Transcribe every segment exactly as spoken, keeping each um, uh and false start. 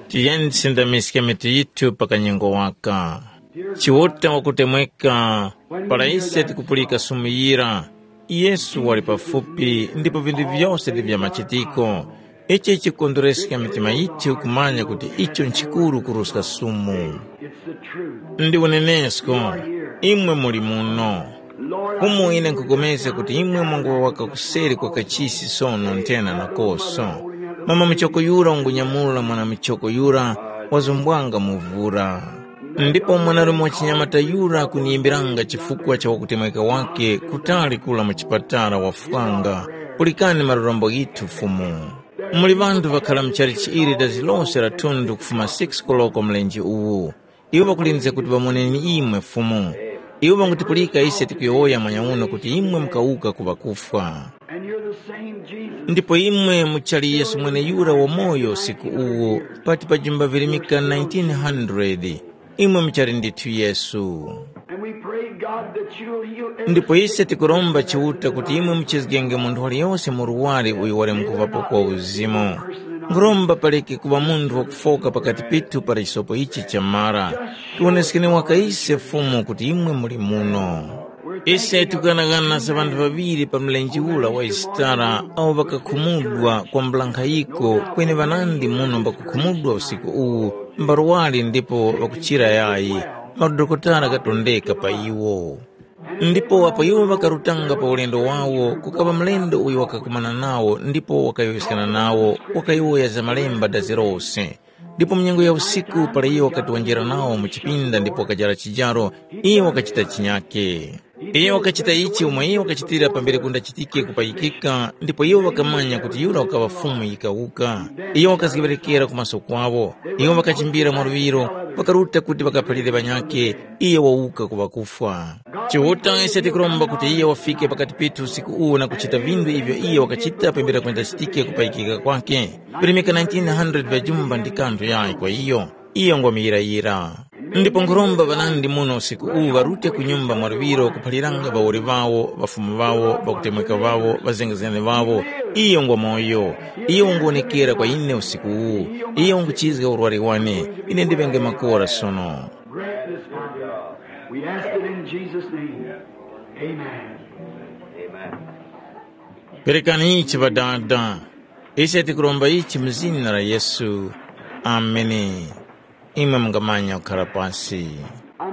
Tiyeni tisindamiske mitu yithu pa kanyengo waka. Chiuta wakutemweka, para ise tikupulika sumu yira, Yesu wali pafupi ndipo vinthu vyose ndi vya machitiko. Ichi chikondwereska mitima yithu kumanya kuti icho nchikuru kuruska sumu. Ndi unenesko, imwe muli muno. Umo ine nkupulikana kuti imwe mwanguŵa waka kuseri kwa kachisi sono nthena nakoso. Mama muchoko yura ungunyamula mwana muchoko yura wazumbwanga mu vura. Ndipo mwanarume wa chinyamata yura kuniyimbiranga chifukwa cha wakutemweka wake kutali kula mu chipatala wafwanga. Pulikani marorombo ghithu Fumu. Muli ŵanthu ŵakhala mu chalichi ili dazi lose la thundu kufuma six koloko mlenje uwu. Iwo ŵakulindizga kuti ŵamoneni imwe Fumu. Iwo ŵangutipulika ise tikuyowoya mwanyauno kuti imwe mukawuka ku ŵakufwa. And you're the same Jesus. Ndipo imwe muchali Yesu mweneyura wamoyo usiku uwu, pati pa jumba virimika nineteen hundred. Imwe muchali ndithu Yesu. And we pray, God, that you'll heal every Ndipo ise tikuromba Chiuta kuti imwe muchizgenge munthu waliyose mu luwali uyo wali mkuvapo kwa uzimu. Nkhuromba paleke kuŵa munthu wakufoka pakati pethu para chisopo ichi chamara. Tiwoneskeni waka ise Fumu kuti imwe muli muno. Ise tikughanaghana za ŵanthu ŵaŵiri pa mlenje ura wa Yisitara awo ŵakakhumudwa kwambula nkhayiko kweni ŵanandi muno mbakukhumudwa usiku uwu mbarwari ndipo ŵakuchira yayi, madokotala ghatondeka pa iwo. Ndipo apo iwo ŵakarutanga pa ulendo wawo, kukaŵa mlendo uyo wakakumana nawo ndipo wakayowoyeskana nawo, wakayowoya za Malemba dazi lose. Ndipo mu nyengo ya usiku para iyo wakati wanjira nawo mu chipinda ndipo wakajara chijaro, iyo wakachita chinyake. Iyo wakachita ichi umo iyo wakachitira pambere kundachitike kupayikika, ndipo iwo ŵakamanya kuti yura wakaŵa Fumu yikawuka. Iyo wakazgeŵerekera ku maso kwawo. Iwo ŵakachimbira mwaluŵiro, ŵakaruta kuti ŵakaphalire ŵanyakhe, iyo wawuka ku ŵakufwa. Chiuta ise tikuromba kuti iye wafike pakati pethu usiku uwu na kuchita vinthu ivyo iye wakachita pambere kwenda chitike kupayikika kwake. Virimika nineteen hundred vya jumba ndi kanthu yayi kwa iyo. Iyo ngwamuyirayira. Ndipo nkhuromba ŵanandi muno usiku uwu ŵarute ku nyumba mwaluŵiro kuphaliranga ŵawoli ŵawo, ŵafumu ŵawo, ŵakutemweka ŵawo, ŵazengezgani ŵawo. Iyo ngwamoyo. Iyo unguwonekera kwa ine usiku uwu. Iyo unguchizga urwari wane. Ine ndiŵenge makora sono. Grant this, Father. We ask it in Jesus' name. Amen. Perekani ichi Ŵadada. Ise tikuromba ichi mu zina la Yesu. Ameni. Imwe mungamanya kukhala pasi.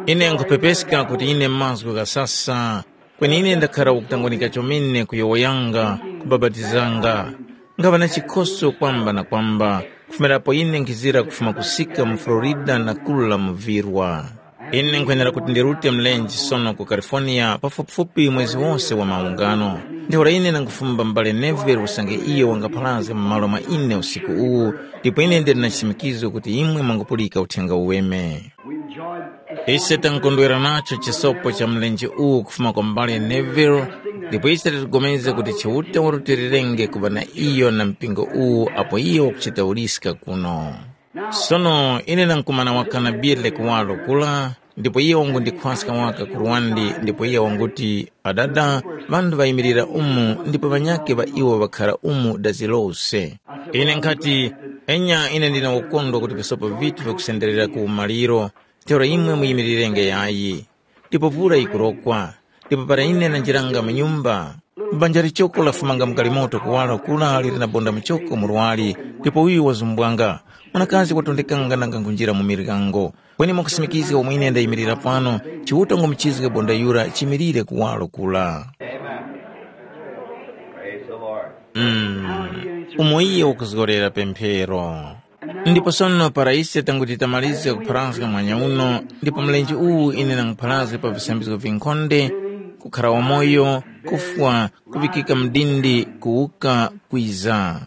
Ine nkhupepeska kuti ine mazgu ghasasa, kweni ine ndakhara wakutangwanika chomene kuyowoyanga, kubapatizanga. Ngaŵa na chikhoso kwamba na kwamba, kufumira apo ine nkhizira kufuma kusika mu Florida na kula mu virwa. Ine nkhwenera kuti ndirute mlenje sono ku California pafupifupi mwezi wose wa maungano. Ntheura ine ndangufumba m'bale Neville usange iyo wangapharazga mu malo mwa ine usiku uwu, ndipo ine ndili na chisimikizo kuti imwe mwangupulika Uthenga Uweme. Ise tankondwera nacho chisopo cha mlenje uwu kufuma kwa m'bale Neville, ndipo ise tikupulikana kuti Chiuta warutilirenge kuŵa na iyo na mpingo uwu apo iyo wakuchita uliska kuno. Sono ine ndamkumana waka na Billy kuwaro kura, ndipo iye wangundikhwaska waka ku Rwandi, ndipo iye wanguti, "Adada, ŵanthu ŵayimilira umu, ndipo ŵanyakhe ŵa iwo ŵakhara umu dazi lose." Ine nkhati, "Enya ine ndine wakukondwa kuti visopo vithu vyakusenderera ku umaliro, ntheura imwe muyimirirenge yayi." Ndipo vura yikurokwa, ndipo para ine nanjiranga mu nyumba, banja lichoko lafumanga mu galimoto kuwaro kura liri na bonda muchoko murwari, ndipo uyu wazumbwanga. Mwanakazi watondekanga nanga nkhunjira mu miryango. Kweni mwakusimikizga umo ine ndayimirira pano, Chiuta ngumuchizge bonda yura chimilire kuwaro kura. Mm. Umo iye wakuzgorera pemphero. Ndipo sono para ise tanguti tamalizga kupharazga mwanya uno, ndipo mlenje uwu ine nangupharazga pa visambizgo vinkhonde, kukhara wamoyo, kufwa, kuŵikika mdindi, kuwuka, kwiza.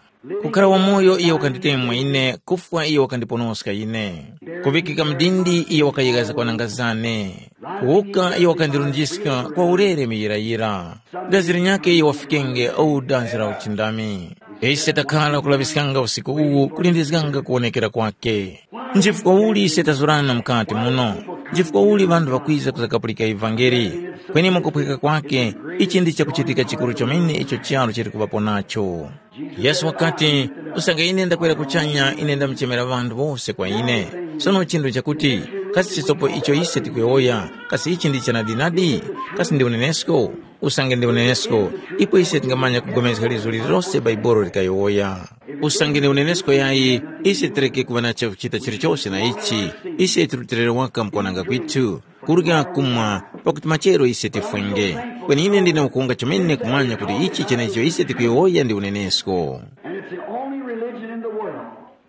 Kukhara wamoyo iyo wakanditemwa ine, kufwa iyo wakandiponoska ine. Kuŵikika mdindi iyo wakayeghaza kwananga zane. Kuwuka iyo wakandirunjiska kwa ulere muyirayira. Dazi linyakhe iyo wafikenge au dazi la uchindami. Ise takhala kulaŵiskanga usiku uwu kulindizganga kuwonekera kwakhe. Nchifukwa uli ise tazurana mukati muno? Nchifukwa uli ŵanthu ŵakwiza kuzakapulika ivangeli? Kweni mukuphweka kwake, ichi ndi chakuchitika chikuru chomene icho charu chili kuŵapo nacho. Yesu wakati, usange ine ndakwera kuchanya, ine ndamuchemera ŵanthu wose kwa ine. Sono chinthu chakuti, kasi chisopo icho ise tikuyowoya, kasi ichi ndi chanadinadi? Kasi ndi unenesko? Usange ndi unenesko, ipo ise tingamanya kugomezga lizo lililose Baibolo likayowoya. Usange ndi unenesko yayi, ise tireke kuŵa na chakuchita chilichose na ichi. Ise tirutilire waka mukwananga kwithu, kurya kumwa, pakuti machero ise tifwenge. Kweni ine ndine ukuwunga chomene kumanya kuti ichi chenecho ise tikuyowoya ndi unenesko. And it's the only religion in the world.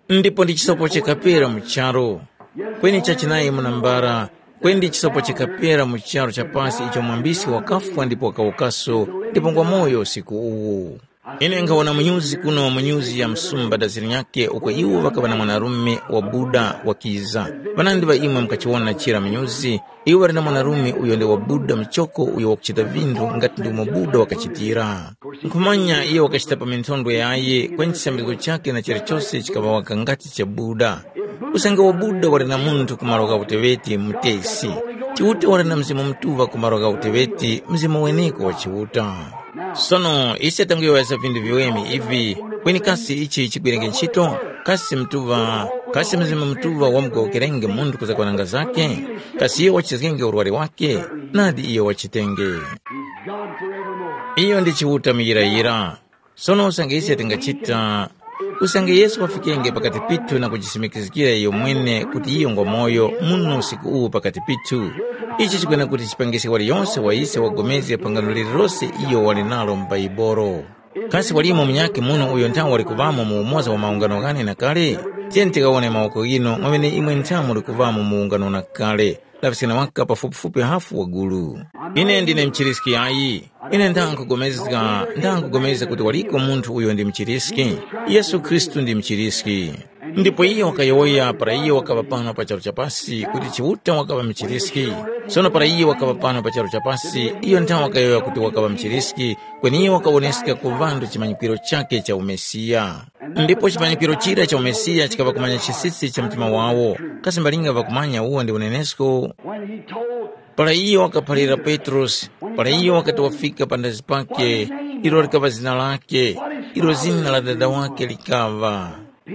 Ndipo ndi chisopo chikapera mu charu. Kweni chachinayi munambara, kweni ndi chisopo chikapera mu charu cha pasi icho mwambisi wakafwa ndipo wakawukaso, ndipo ngwa moyo usiku uwu. Ine nkhawona munyuzi kuno munyuzi ya msumba da zilinyake uko iwo ŵakaŵa na mwanarume wabuda wakiza. Ŵanandi ŵa imwe mukachiwona chira munyuzi, iwo ŵali na mwanarume uyo ndi wabuda muchoko uyo wakuchita vinthu ngati ndi umo buda wakachitira. Nkhumanya iyo wakachita pa minthondwe yaye kweni chisambizgo chakhe na chilichose chikaŵawaka ngati cha buda. Usange wabuda wali na munthu ku malo gha uteŵeti mutesi, Chiuta wali na Mzimu Mutuŵa ku malo gha uteŵeti, Mzimu weneko wa Chiuta. Sono ise tanguyowoyesa vinthu viweme ivi, kweni kasi ichi chigwirenge ntchito? Kasi Mutuŵa, kasi Mzimu Mutuŵa wamugowokerenge munthu kuzakwananga zake? Kasi iyo wachizgenge urwari wake? Nadi iyo wachitenge. God forevermore. Iyo ndi Chiuta muyirayira. Sono usange ise tingachita, usange Yesu wafikenge pakati pithu na kujisimikizgira iyo mwene kuti iyo ngwa moyo muno usiku uwu pakati pithu, ichi chikwena kuti chipangiske waliyonse wa ise wapulikane phangano lililose iyo wali nalo mu Baibolo. Kasi walimo munyakhe muno uyo nthawe wali kuŵamo mu umoza wa maungano ghane na kale? Tiyeni tikawone mawoko ghinu mwamene imwe nthawe muli kuŵamo mu ungano na kale. Laŵiskani waka pafupifupi hafu wa gulu. Ine ndine mchiriski ayi. Ine ndangugomezga, ndangugomezga kuti waliko munthu uyo ndi mchiriski. Yesu Khristu ndi mchiriski. Ndipo iyo wakayowoya para iyo wakaŵa pano pa charu chapasi kuti Chiuta wakaŵa mchiriski. Sono para iyo wakaŵa pano pa charu chapasi, iyo nthawe wakayowoya kuti wakaŵa mchiriski, kweni iyo wakawoneska ku ŵanthu chimanyikiro chakhe cha umesiya. Ndipo chimanyikiro chira cha umesiya chikaŵa kumanya chisisi cha mtima wawo. Kasi mbalinga ŵakumanya uwo ndi unenesko? When he told Para iyo wakaphalira Petrosi, para iyo wakati wafika pandazi pake, ilo likaŵa zina lake, ilo zina la dada wake likaŵa.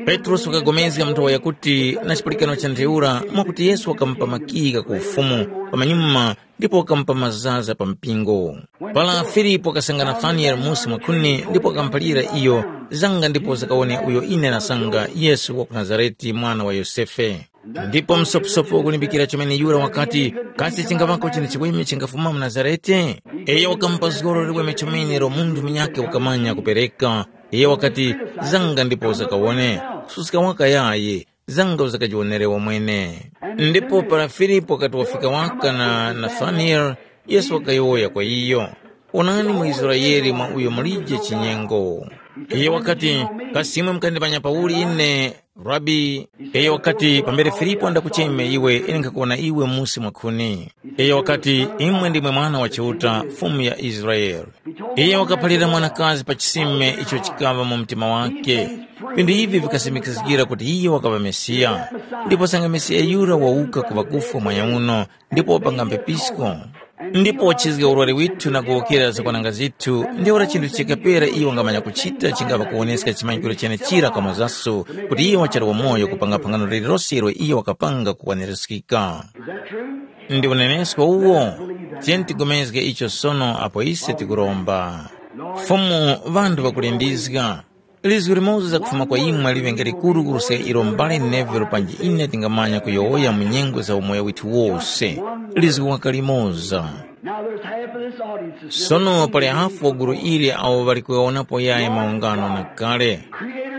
Petrosi wakagomezga muthowa yakuti na chipulikano cha ntheura mwakuti Yesu wakamupa makika ku ufumu pamanyuma ndipo wakamupa mazaza pa mpingo. Para Filipo wakasanga Nataniyele musi mwakhuni ndipo wakamuphalira iyo, zanga ndipo zakawone uyo ine nasanga, Yesu wa ku Nazarete, mwana wa Yosefe. Ndipo msoposopo wakulimbikira chomene yura wakati, kasi chingaŵako chinthu chiweme chingafuma mu Nazarete? Iyo wakamupa zgoro liweme chomene ilo munthu munyakhe wakamanya kupereka. Iyo wakati, zanga ndipo uzakawone, kususka waka yayi, zanga uzakajiwonere wamwene. Ndipo para Filipo wakati wafika waka na Nataniyele, Yesu wakayowoya kwa iyo, onani mu Israele mwa uyo mulije chinyengo. Iyo wakati, kasi imwe mukandimanya pauli ine? Rabi, iyo wakati, pambere Filipo andakucheme iwe, ine nkhakuwona iwe musi mwakhuni. Iyo wakati, imwe ndimwe Mwana wa Chiuta, Fumu ya Israele. Iyo wakaphalira mwanakazi pa chisime icho chikaŵa mu mtima wake. Vinthu ivi vikasimikizgira kuti iyo wakaŵa Mesiya. Ndipo sanga Mesiya yura wawuka ku ŵakufwa mwanyauno, ndipo wapanga mphepisko. Ndipo wachizga urwari withu na kuwokera zakwananga zithu, ntheura chinthu chikapera iyo wangamanya kuchita chingapa kuwoneska chimanyikiro chenechira kwa mazaso, kuti iyo wachali wamoyo kupanga phangano lililose ilo iyo wakapanga kukwanirizgika. Ndi unenesko uwo? Tiyeni tigomezge icho sono apo ise tikuromba. Fumu, ŵanthu ŵakulindizga. Lizgu limoza kufuma kwa imwe liŵenge likuru kuruska ilo mbale Neville panji ine tingamanya kuyowoya mu nyengo za umoyo withu wose. Lizgu waka limoza. Now there's half of this audience is Sono pali hafu wa gulu ili awo ŵali kuwawonapo yayi maungano na kale.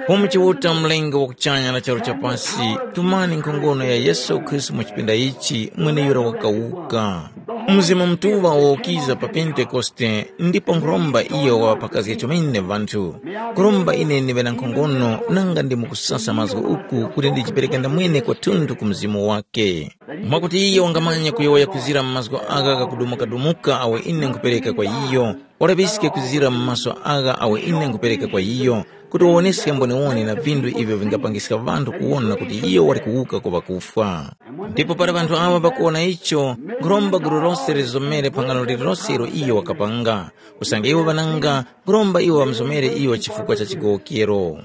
Fumu Chiuta, mlengi wa kuchanya na charu chapasi, tumani nkhongono ya Yesu Khristu mu chipinda ichi, mweneyura wakawuka. Mzimu Mutuŵa wakiza pa Pentekoste, ndipo nkhuromba iyo waŵapakazge chomene ŵanthu. Nkhuromba ine ndiŵe na nkhongono nanga ndi mukusasa mazgu uku kuti ndijipereke ndamwene kwathunthu ku Mzimu wake. Mwakuti iyo wangamanya kuyowoya kwizira mu mazgu agha ghakudumukadumuka awo ine nkhupereka kwa iyo, walaŵiske kuzira mu maso agha awo ine nkhupereka kwa iyo, kuti wawoneske mboniwoni na vinthu ivyo vingapangiska ŵanthu kuwona kuti iyo wali kuwuka ku ŵakufwa. Ndipo para ŵanthu aŵa ŵakuwona icho, nkhuromba gulu lose lizomere phangano lililose ilo iyo wakapanga. Usange iwo ŵananga, nkhuromba iwo ŵamuzomere iyo chifukwa cha chigowokero.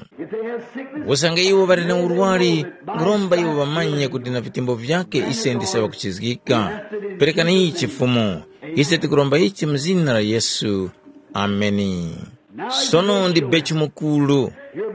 Usange iwo ŵali na urwari, nkhuromba iwo ŵamanye kuti na vitembo vyake ise ndise ŵakuchizgika. Perekani ichi Fumu. Ise tikuromba ichi mu zina la Yesu. Ameni. Sono ndi bechi mukuru.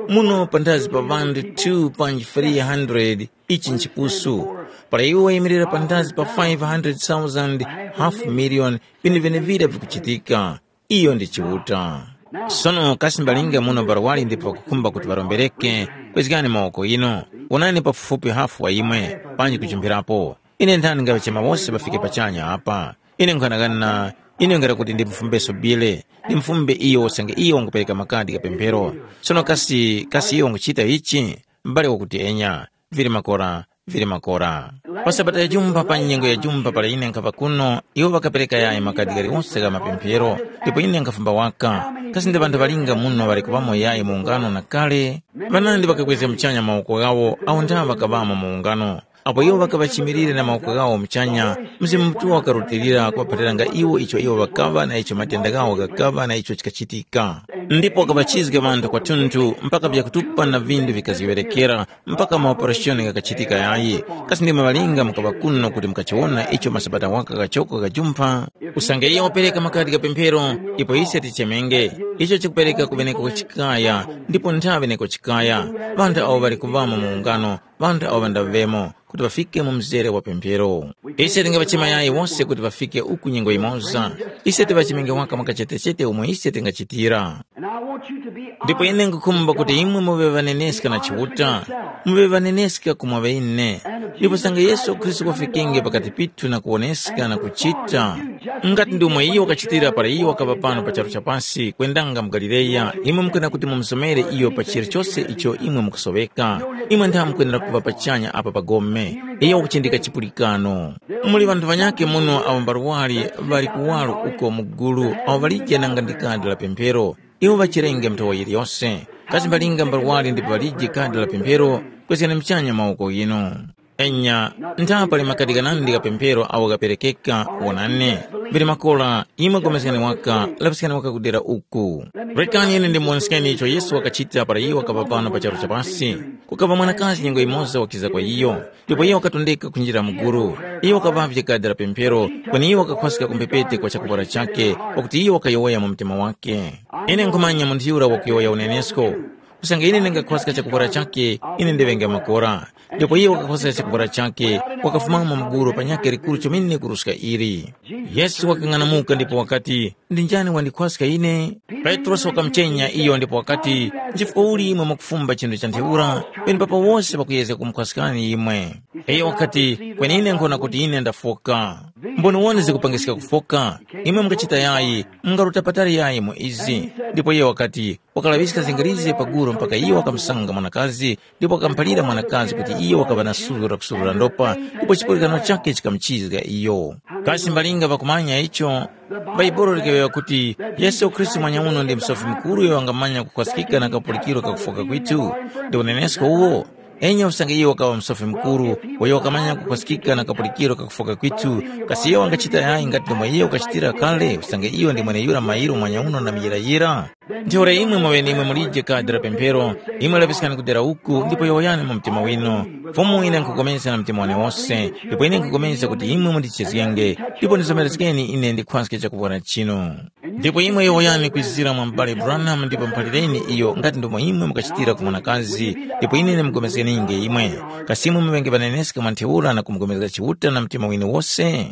Muno panthazi pa ŵanthu two panji three hundred, ichi nchipusu. Para iwo wayimirira panthazi pa five hundred thousand, half million, vinthu vyenevira vikuchitika. Iyo ndi Chiuta. Sono kasi mbalinga muno barwali ndipo ŵakukhumba kuti ŵarombereke, kwezgani mawoko ino. Wonani pafupifupi hafu wa imwe, panji kuchimphirapo. Ine nthani ngachema wose ŵafike pachanya apa. Ine nkhanakana, ine ngati kuti ndimufumbeso bile, ndimufumbe iyo usange iyo wangupereka makadi gha pemphero. Sono kasi, kasi iyo wanguchita ichi? M'bale wakuti enya, vili makora, vili makora. Pa sabata ya jumba pa nyengo ya jumba para ine nkhapa kuno, iwo ŵakapereka yayi makadi galiwose gha mapemphero, ndipo ine nkhafumba waka. Kasi ndi ŵanthu ŵalinga muno ŵali kuŵamo yayi mu ungano na kale? Ŵanandi ŵakakwezga muchanya mawoko ghawo awo ndagha ŵakaŵamo mu ungano. Apo iwo ŵakaŵa chimirire na mawoko ghawo muchanya, Mzimu Mutuŵa wakarutilira kuŵaphatiranga iwo icho iwo ŵakaŵa na icho matenda ghawo ghakaŵa na icho chikachitika. Ndipo wakaŵachizga ŵanthu kwathunthu mpaka vyakutupa na vinthu vikazgeŵerekera, mpaka maoperashoni ghakachitika yayi. Kasi ndimwe ŵalinga mukaŵa kuno kuti mukachiwona icho masabata waka ghachoko ghajumpha? Usange iye wapereka makadi gha pemphero, ipo ise tichemenge. Icho chikupereka kuŵeneko chikaya, ndipo nthaŵe neko chikaya. Ŵanthu awo ŵali kuŵamo mu ungano, ŵanthu awo ŵandaŵemo, kuti ŵafike mu mzere wa pemphero. Ise tingaŵachema yayi wose kuti ŵafike uku nyengo yimoza. Ise tiŵachimenge waka mwakachetechete umo ise tingachitira. Ndipo ine nkhukhumba kuti imwe muŵe ŵaneneska na Chiuta, muŵe ŵaneneska kumwa ŵene. Ndipo sange Yesu Khristu wafikenge pakati pithu na kuwoneska na kuchita, ngati ndi umo iyo wakachitira para iyo wakaŵa pano pa charu cha pasi, kwendanga mu Galileya, imwe mukana kuti mumusomere iyo pa chilichose icho imwe mukusoweka. Imwe ntha mukwenera kuŵa pachanya apa pa gome. Iyo wakuchindika chipulikano. Muli ŵanthu ŵanyakhe muno awo mbarwari ŵali kuwaro uko mu gulu awo ŵalije nanga ndi kadi la pemphero. Iwo ŵachirenge nthowa yiliyose. Kasi mbalinga mbarwari ndipo ŵalije kadi la pemphero? Kwezgani muchanya mawoko ghinu. Enya, ntha pali makadi ghanandi gha pemphero awo ghaperekeka, wonani. Mbiri makora, imwe gomezgani waka, lapiskani waka kudera uku. Rekani ine ndimuwoneskeni icho Yesu wakachita para iyo wakaŵa pano pa charu cha pasi. Kukaŵa mwanakazi nyengo yimoza wakiza kwa iyo, ndipo iyo wakatondeka kunjira mu gulu. Iyo wakaŵavye kadi la pemphero, kweni iyo wakakhwaska ku mphepete kwa chakupora chakhe, pakuti iyo wakayowoya mu mtima wakhe. Ine nkhumanya munthu yura wakuyowoya unenesko. Usange ine ndingakhwaska chakupora chakhe, ine ndiŵenge makora. Ndipo iyo wakakhwaska chakupora chakhe, wakafumamo mguru pa nyakhe likuru chomene kuruska ili. Yesu wakang'anamuka ndipo wakati, ndi njani wandikhwaska ine? Petrosi wakamuchenya iyo ndipo wakati, nchifukwa uli imwe mwakufumba chinthu cha ntheura, penepapo wose ŵakuyezga kumukhwaskani imwe. Iyo wakati, kweni ine nkhona kuti ine ndafoka. Mboniwoni zikupangiska kufoka, imwe mungachita yayi, mungaruta patali yayi mu izi. Ndipo iye wakati, wakalaŵiska zingarizge paguru mpaka iyo wakamusanga mwanakazi, ndipo wakamuphalira mwanakazi kuti iyo wakaŵa na suzgo lakusurura ndopa, ndipo chipulikano chakhe chikamuchizga iyo. Kasi mbalinga ŵakumanya icho? Bhaibuli likayowoya kuti Yesu Khristu mwanyauno ndi Musofi Mukuru uyo wangamanya kukhwaskika na kapulikiro ka kufoka kwithu. Ndi unenesko uwo? Enya usange iyo wakaŵa Musofi Mukuru, uyo wakamanya kukhwaskika na kapulikiro ka kufoka kwithu, kasi iyo wangachita yayi ngati ndomwe iyo wakachitira kale, usange iyo ndi mweneyura mairo mwanyauno na muyirayira? Ntheura imwe mwaŵenemwe mulije kadi la pemphero, imwe lapiskani kudera uku ndipo yowoyani mu mtima winu. Fumu ine nkhupulikana na mtima wane wose, ndipo ine nkhupulikana kuti imwe mundichezgenge, ndipo ndizomerezgeni ine ndikhwaske chakupora chinu. Ndipo imwe yowoyani kwizira mwa m'bale Branham ndipo muphalireni iyo ngati ndomwe imwe mukachitira ku mwanakazi, ndipo ine ndimugomezgeninge imwe. Kasi imwe muŵenge ŵaneneska mwa ntheura na kumugomezga Chiuta na mtima winu wose?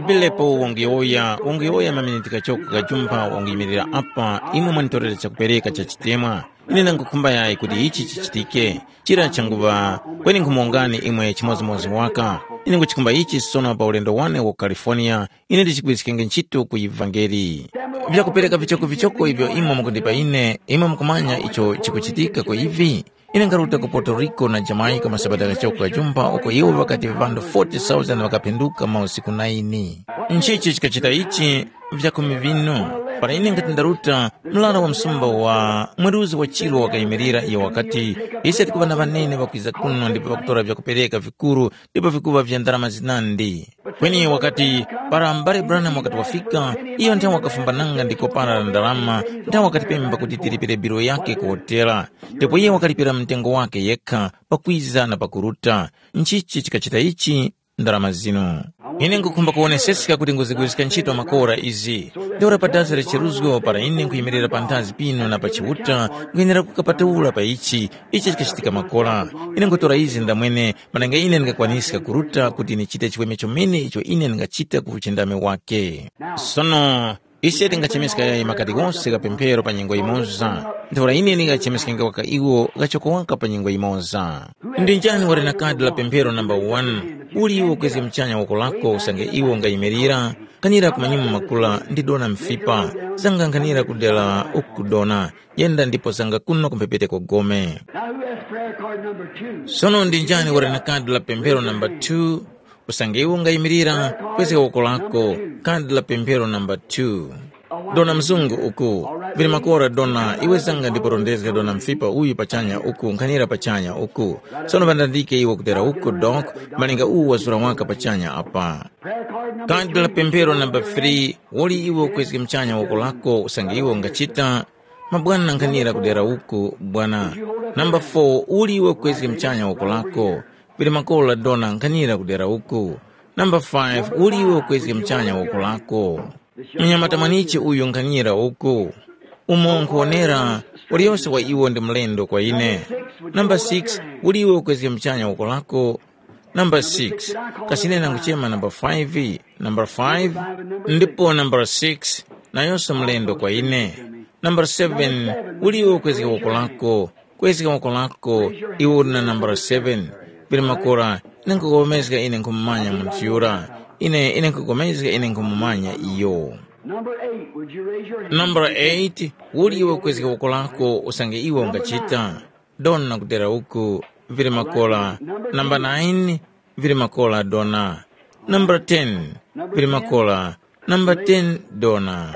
Bilepo wanguyowoya, wanguyowoya maminiti kachoko kajumpha wanguyimirira apa, imwe mwanitorera chakupereka cha chitemwa. Ine ndangukhumba yayi kuti ichi chichitike. Chira changuŵa, kweni nkhumuwongani imwe chimodzimodzi waka. Ine nguchikhumba ichi sono pa ulendo wane wa ku California, ine ndichigwiriskenge ntchito ku ivangeli. Vyakupereka vichokovichoko ivyo imwe mukundipa ine, imwe mukumanya icho chikuchitika ku ivi? Ine nkharuta ku Puerto Rico na Jamaica masabata ghachoko ghajumba uko iwo ŵakati ŵanthu forty thousand ŵakaphinduka mausiku nine. Nchichi chikachita ichi vyakhumi vinu? Para ine ngati ndaruta, mlara wa msumba wa mweruzi wa chiro wakayimirira, iyo wakati, ise tikuŵa na ŵanene ŵakwiza kuno ndipo ŵakutora vyakupereka vikuru ndipo vikuŵa vya ndarama zinandi. Kweni wakati, para mbale Branham wakati wafika, iyo nthawe wakafumbananga ndi kopara la ndarama, nthawe wakatipemba kuti tilipire biro yake ku hotela. Ndipo iye wakalipira mtengo wake yekha pakwiza na pakuruta. Nchichi chikachita ichi? Ndarama zinu. Ine nkukhumba kuwoneseska kuti nguzigwiriska ntchito makora izi. Ntheura pa dasi la cheruzgo para ine nkhuyimirira panthazi pino na pa Chiuta, nkwenera kukapatula pa ichi, ichi chikachitika makora. Ine nkutora izi ndamwene, mananga ine ndingakwaniska kuruta kuti ndichite chiweme chomene icho ine ndingachita ku uchindami wake. Sono, ise tingachemeska yayi makati ghose gha pemphero pa nyengo yimoza. Ntheura ine ndingachemeska ngawaka iwo ghachoko waka pa nyengo yimoza. Ndi njani wali na kadi la pemphero namba wani? Uli iwo kwezge muchanya woko lako usange iwo ungayimirira? Kanira kumanyuma makula ndi dona mfipa, zanga nkhanira kudera uku dona, yenda ndipo zanga kuno kumphepete kwa gome. Now who has prayer card number two? Sono ndi njani wali na kadi la pemphero namba two? Usange iwe ungayimirira, kwezga woko lako, kadi la pemphero namba two. Dona mzungu uku, vili makora dona, iwe zanga ndipo rondezga dona mfipa uyu pachanya uku nkhanira pachanya uku. Sono vandandike iwe kutera uku dok, malinga uwu wazura waka pachanya apa. Kadi la pemphero namba three, woli iwe ukwezge mchanya woko lako usange iwe ungachita, mabwana nkhanira kudera uku bwana. Namba four, uli iwe ukwezge mchanya woko lako, pili makolo la dona nkhanira kudera uku. Namba five, uli iwe ukwezge mchanya woko lako. Mnyamata mwanichi uyu nkhanira uku. Umo nkhuwonera, uliyose wa iwo ndi mlendo kwa ine. Namba six, uli iwe ukwezge mchanya woko lako. Namba six, kasine nanguchema namba five. Namba five, ndipo namba six, nayonso mlendo kwa ine. Namba seven, uli iwe ukwezga woko lako, kwezga woko lako, iwe uli na namba seven. Pili makora, ine nkukomezga ine nkhumumanya munthu yura. Ine ine nkukomezga ine nkhumumanya iyo. Number eight, would you raise your hand? Namba eight, uli iwe ukwezga woko lako usange iwe ungachita. Dona kudera uku, vili makola. Namba nine, vili makola dona. Namba ten, vili makola. Namba ten, dona.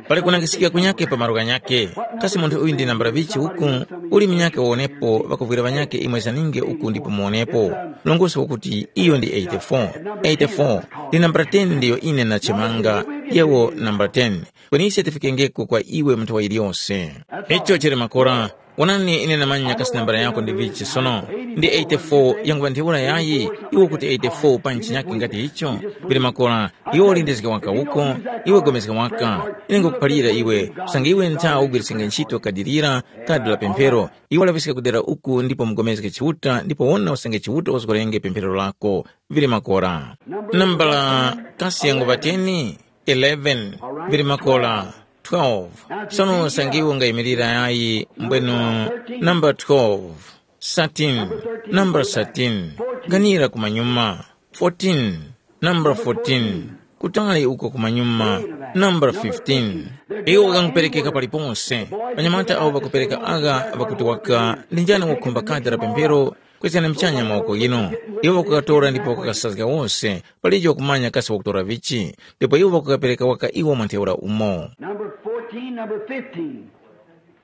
Pali kunangisikika kunyake pa malo ghanyake. Kasi munthu uyu ndi nambala vichi uku? Uli munyake wawonepo, ŵakuvwira ŵanyake imwe zaninge uku ndipo muwonepo. Mlongosi wakuti iyo ndi eighty-four. Eighty-four, ndi nambala ten ndiyo ine nachemanga, yewo nambala ten. Kweni ise tifikengeko kwa iwe munthu wa iliyose. Icho chili makora. Wonani, ine namanya kasi nambala yako ndi vichi sono. Ndi eighty-four yanguŵa ntheura yayi, iwe kuti eighty-four pa nchinyakhe ngati icho? Pili makora, iwe ulindizge waka uko, iwe gomezga waka. Ine ngukuphalira iwe, usange iwe ntha ugwiriskenge ntchito kadi lira, kadi la pemphero, iwe laŵiska kudera uku ndipo mugomezge Chiuta ndipo wona usange Chiuta wazgorenge pemphero lako. Vili makora. Nambala kasi yanguŵa teni? eleven, vili makola, twelve. Sono usange iwe ungayimirira yayi mbwenu, namba twelve, thirteen, namba thirteen, ganira kumanyuma, fourteen, namba fourteen, kutali uko kumanyuma, namba fifteen. Iwo ukanguperekeka paliponse. Anyamata awo ŵakupereka agha ŵakuti waka ndi njani wakukhumba kadi la pemphero? Kwezgani mchanya mawoko ghinu. Iwo ŵakukatora ndipo ŵakakasazga wose, palijo wakumanya kasi wakutora vichi, ndipo iwo ŵakukapereka waka iwo mwa ntheura umo. Number fourteen, number fifteen.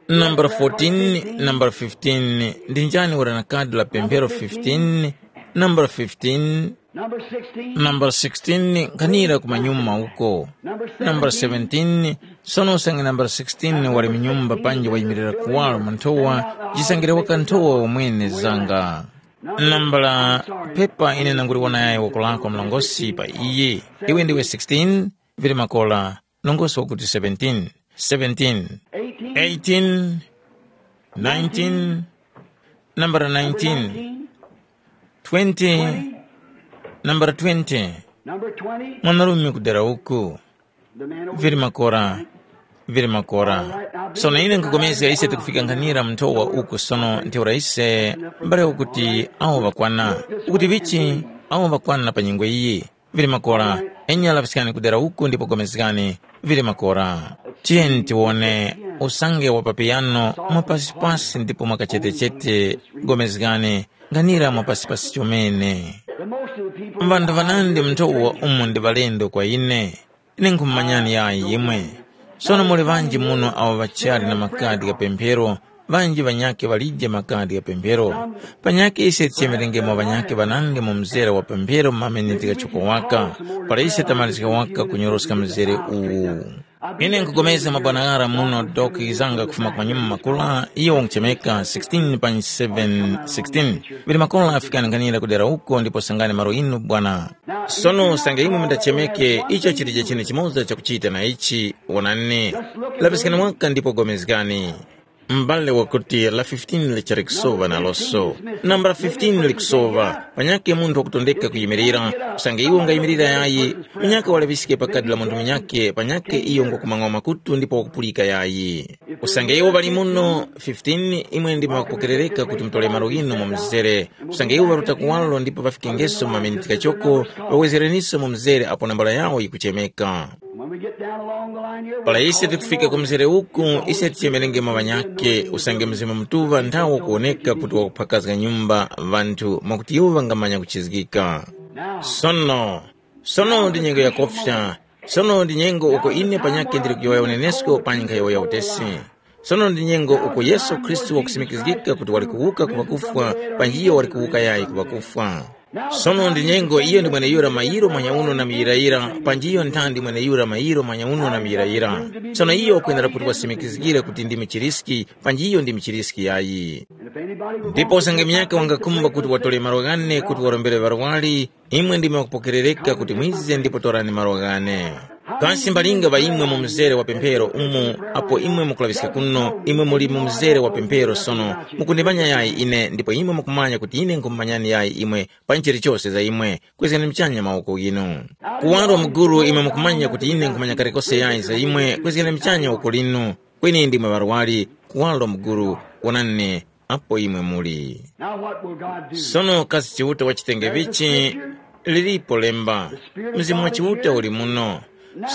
Nambala fourteen, nambala fifteen, ndi njani wali na kadi la pemphero fifteen? Nambala fifteen. Number sixteen. Nambala sixteen, nkhanira kumanyuma uko. Nambala seventeen, sono usange nambala sixteen wali mu nyumba panji wayimirira kuwaro mu nthowa, jisangire waka nthowa wamwene zanga. Nambala pepa ine nanguliwona yayi woko lako mlongosi pa iye. Iwe ndiwe sixteen, vili makola, mlongosi wakuti seventeen, seventeen, eighteen, nineteen, nambala nineteen, twenty, nambala twenty, Number twenty. Mwanarume kudera uku. Vili makora, vili makora. Sono ine nkukomezga ise tikufika nkhanira mnthowa uku sono ntheura ise mbale ukuti awo ŵakwana. Ukuti vichi awo ŵakwana pa nyengo iyi. Vili makora, enya laŵiskani kudera uku ndipo gomezgani. Vili makora. Tiyeni tiwone usange wa papiyano mwapasipasi ndipo mwakachetechete gomezgani. Nkhanira mwapasipasi chomene. Ŵanthu ŵanandi mnthowa umu ndi ŵalendo kwa ine. Ine nkhumumanyani yayi imwe. Sono muli ŵanji muno awo ŵachali na makadi gha pemphero, ŵanji ŵanyakhe ŵalije makadi gha pemphero. Panyakhe ise tichemerengemo ŵanyakhe ŵanandi mu mzere wa pemphero mu mameneti ghachoko waka, para ise tamalizika waka kunyoroska mzere uwu. Ine nkupulikana mabwana ghara muno Doki Zanga kufuma ku manyuma makula, iyo wanguchemeka sixteen pa seven sixteen. Ŵili makolo afikani nkhanira kudera uko ndipo sangani malo inu bwana. Sono usange imwe mundachemeke, icho chilije chinthu chimoza chakuchita na ichi, wonani. Lapiskani waka ndipo pulikani. M'bale wakuti la fifteen lichali kusowa naloso. Nambala fifteen likusova, panyakhe munthu wakutondeka kuyimirira, usange iwo ungayimirira yayi, munyakhe walaŵiske pakati la munthu munyakhe, panyakhe iyo ngwakumang'wa makutu ndipo wakupulika yayi. Usange iwo ŵali muno fifteen, imwe ndi mwakupokerereka kuti mutole malo ghinu mu mzere. Usange iwo ŵaruta kuwalo ndipo ŵafikengeso mu maminiti ghachoko, ŵawezereniso mu mzere apo nambala yawo yikuchemeka. When we get down along the line here, we're Para ise tikufika ku mzere uku, ise tichemerengemo ŵanyakhe, usange Mzimu Mutuŵa nthawo kuwoneka kuti wakuphakazga nyumba ŵanthu mwakuti iwo ŵangamanya kuchizgika. Sono, sono ndi nyengo yakofya, sono ndi nyengo uko ine panyakhe ndili kuyowoya unenesko panyi nkhayowoya utesi. Sono ndi nyengo uko Yesu Khristu wakusimikizgika kuti wali kuwuka ku ŵakufwa, panji iyo wali kuwuka yayi ku ŵakufwa. Sono ndi nyengo iyo ndi mweneyura mayiro manyauno na muyirayira, panji iyo nthandi mweneyura mayiro manyauno na muyirayira. Sono iyo wakwenera kuti wasimikizgire kuti ndi muchiriski, panji iyo ndi muchiriski yayi. Ndipo usange munyakhe wangakhumba kuti watole malo ghane kuti warombere ŵarwari, imwe ndimwe mwakupokerereka kuti mwize ndipo torani malo ghane. Kasi mbalinga ŵa imwe mu mzere wa pemphero umu, apo imwe mukulaŵiska kuno, imwe muli mu mzere wa pemphero sono, mukundimanya yayi ine, ndipo imwe mukumanya kuti ine nkhumumanyani yayi imwe, pa chilichose za imwe, kwezgani muchanya mawoko ghinu. Kuwaro mukuru imwe mukumanya kuti ine nkhumanya kalikose yayi za imwe, kwezgani muchanya woko linu, kweni ndimwe ŵarwari, kuwaro mukuru, wonani apo imwe muli. Now what will God do? Sono kasi Chiuta wachitenge vichi? Lilipo lemba, Mzimu wa Chiuta uli muno.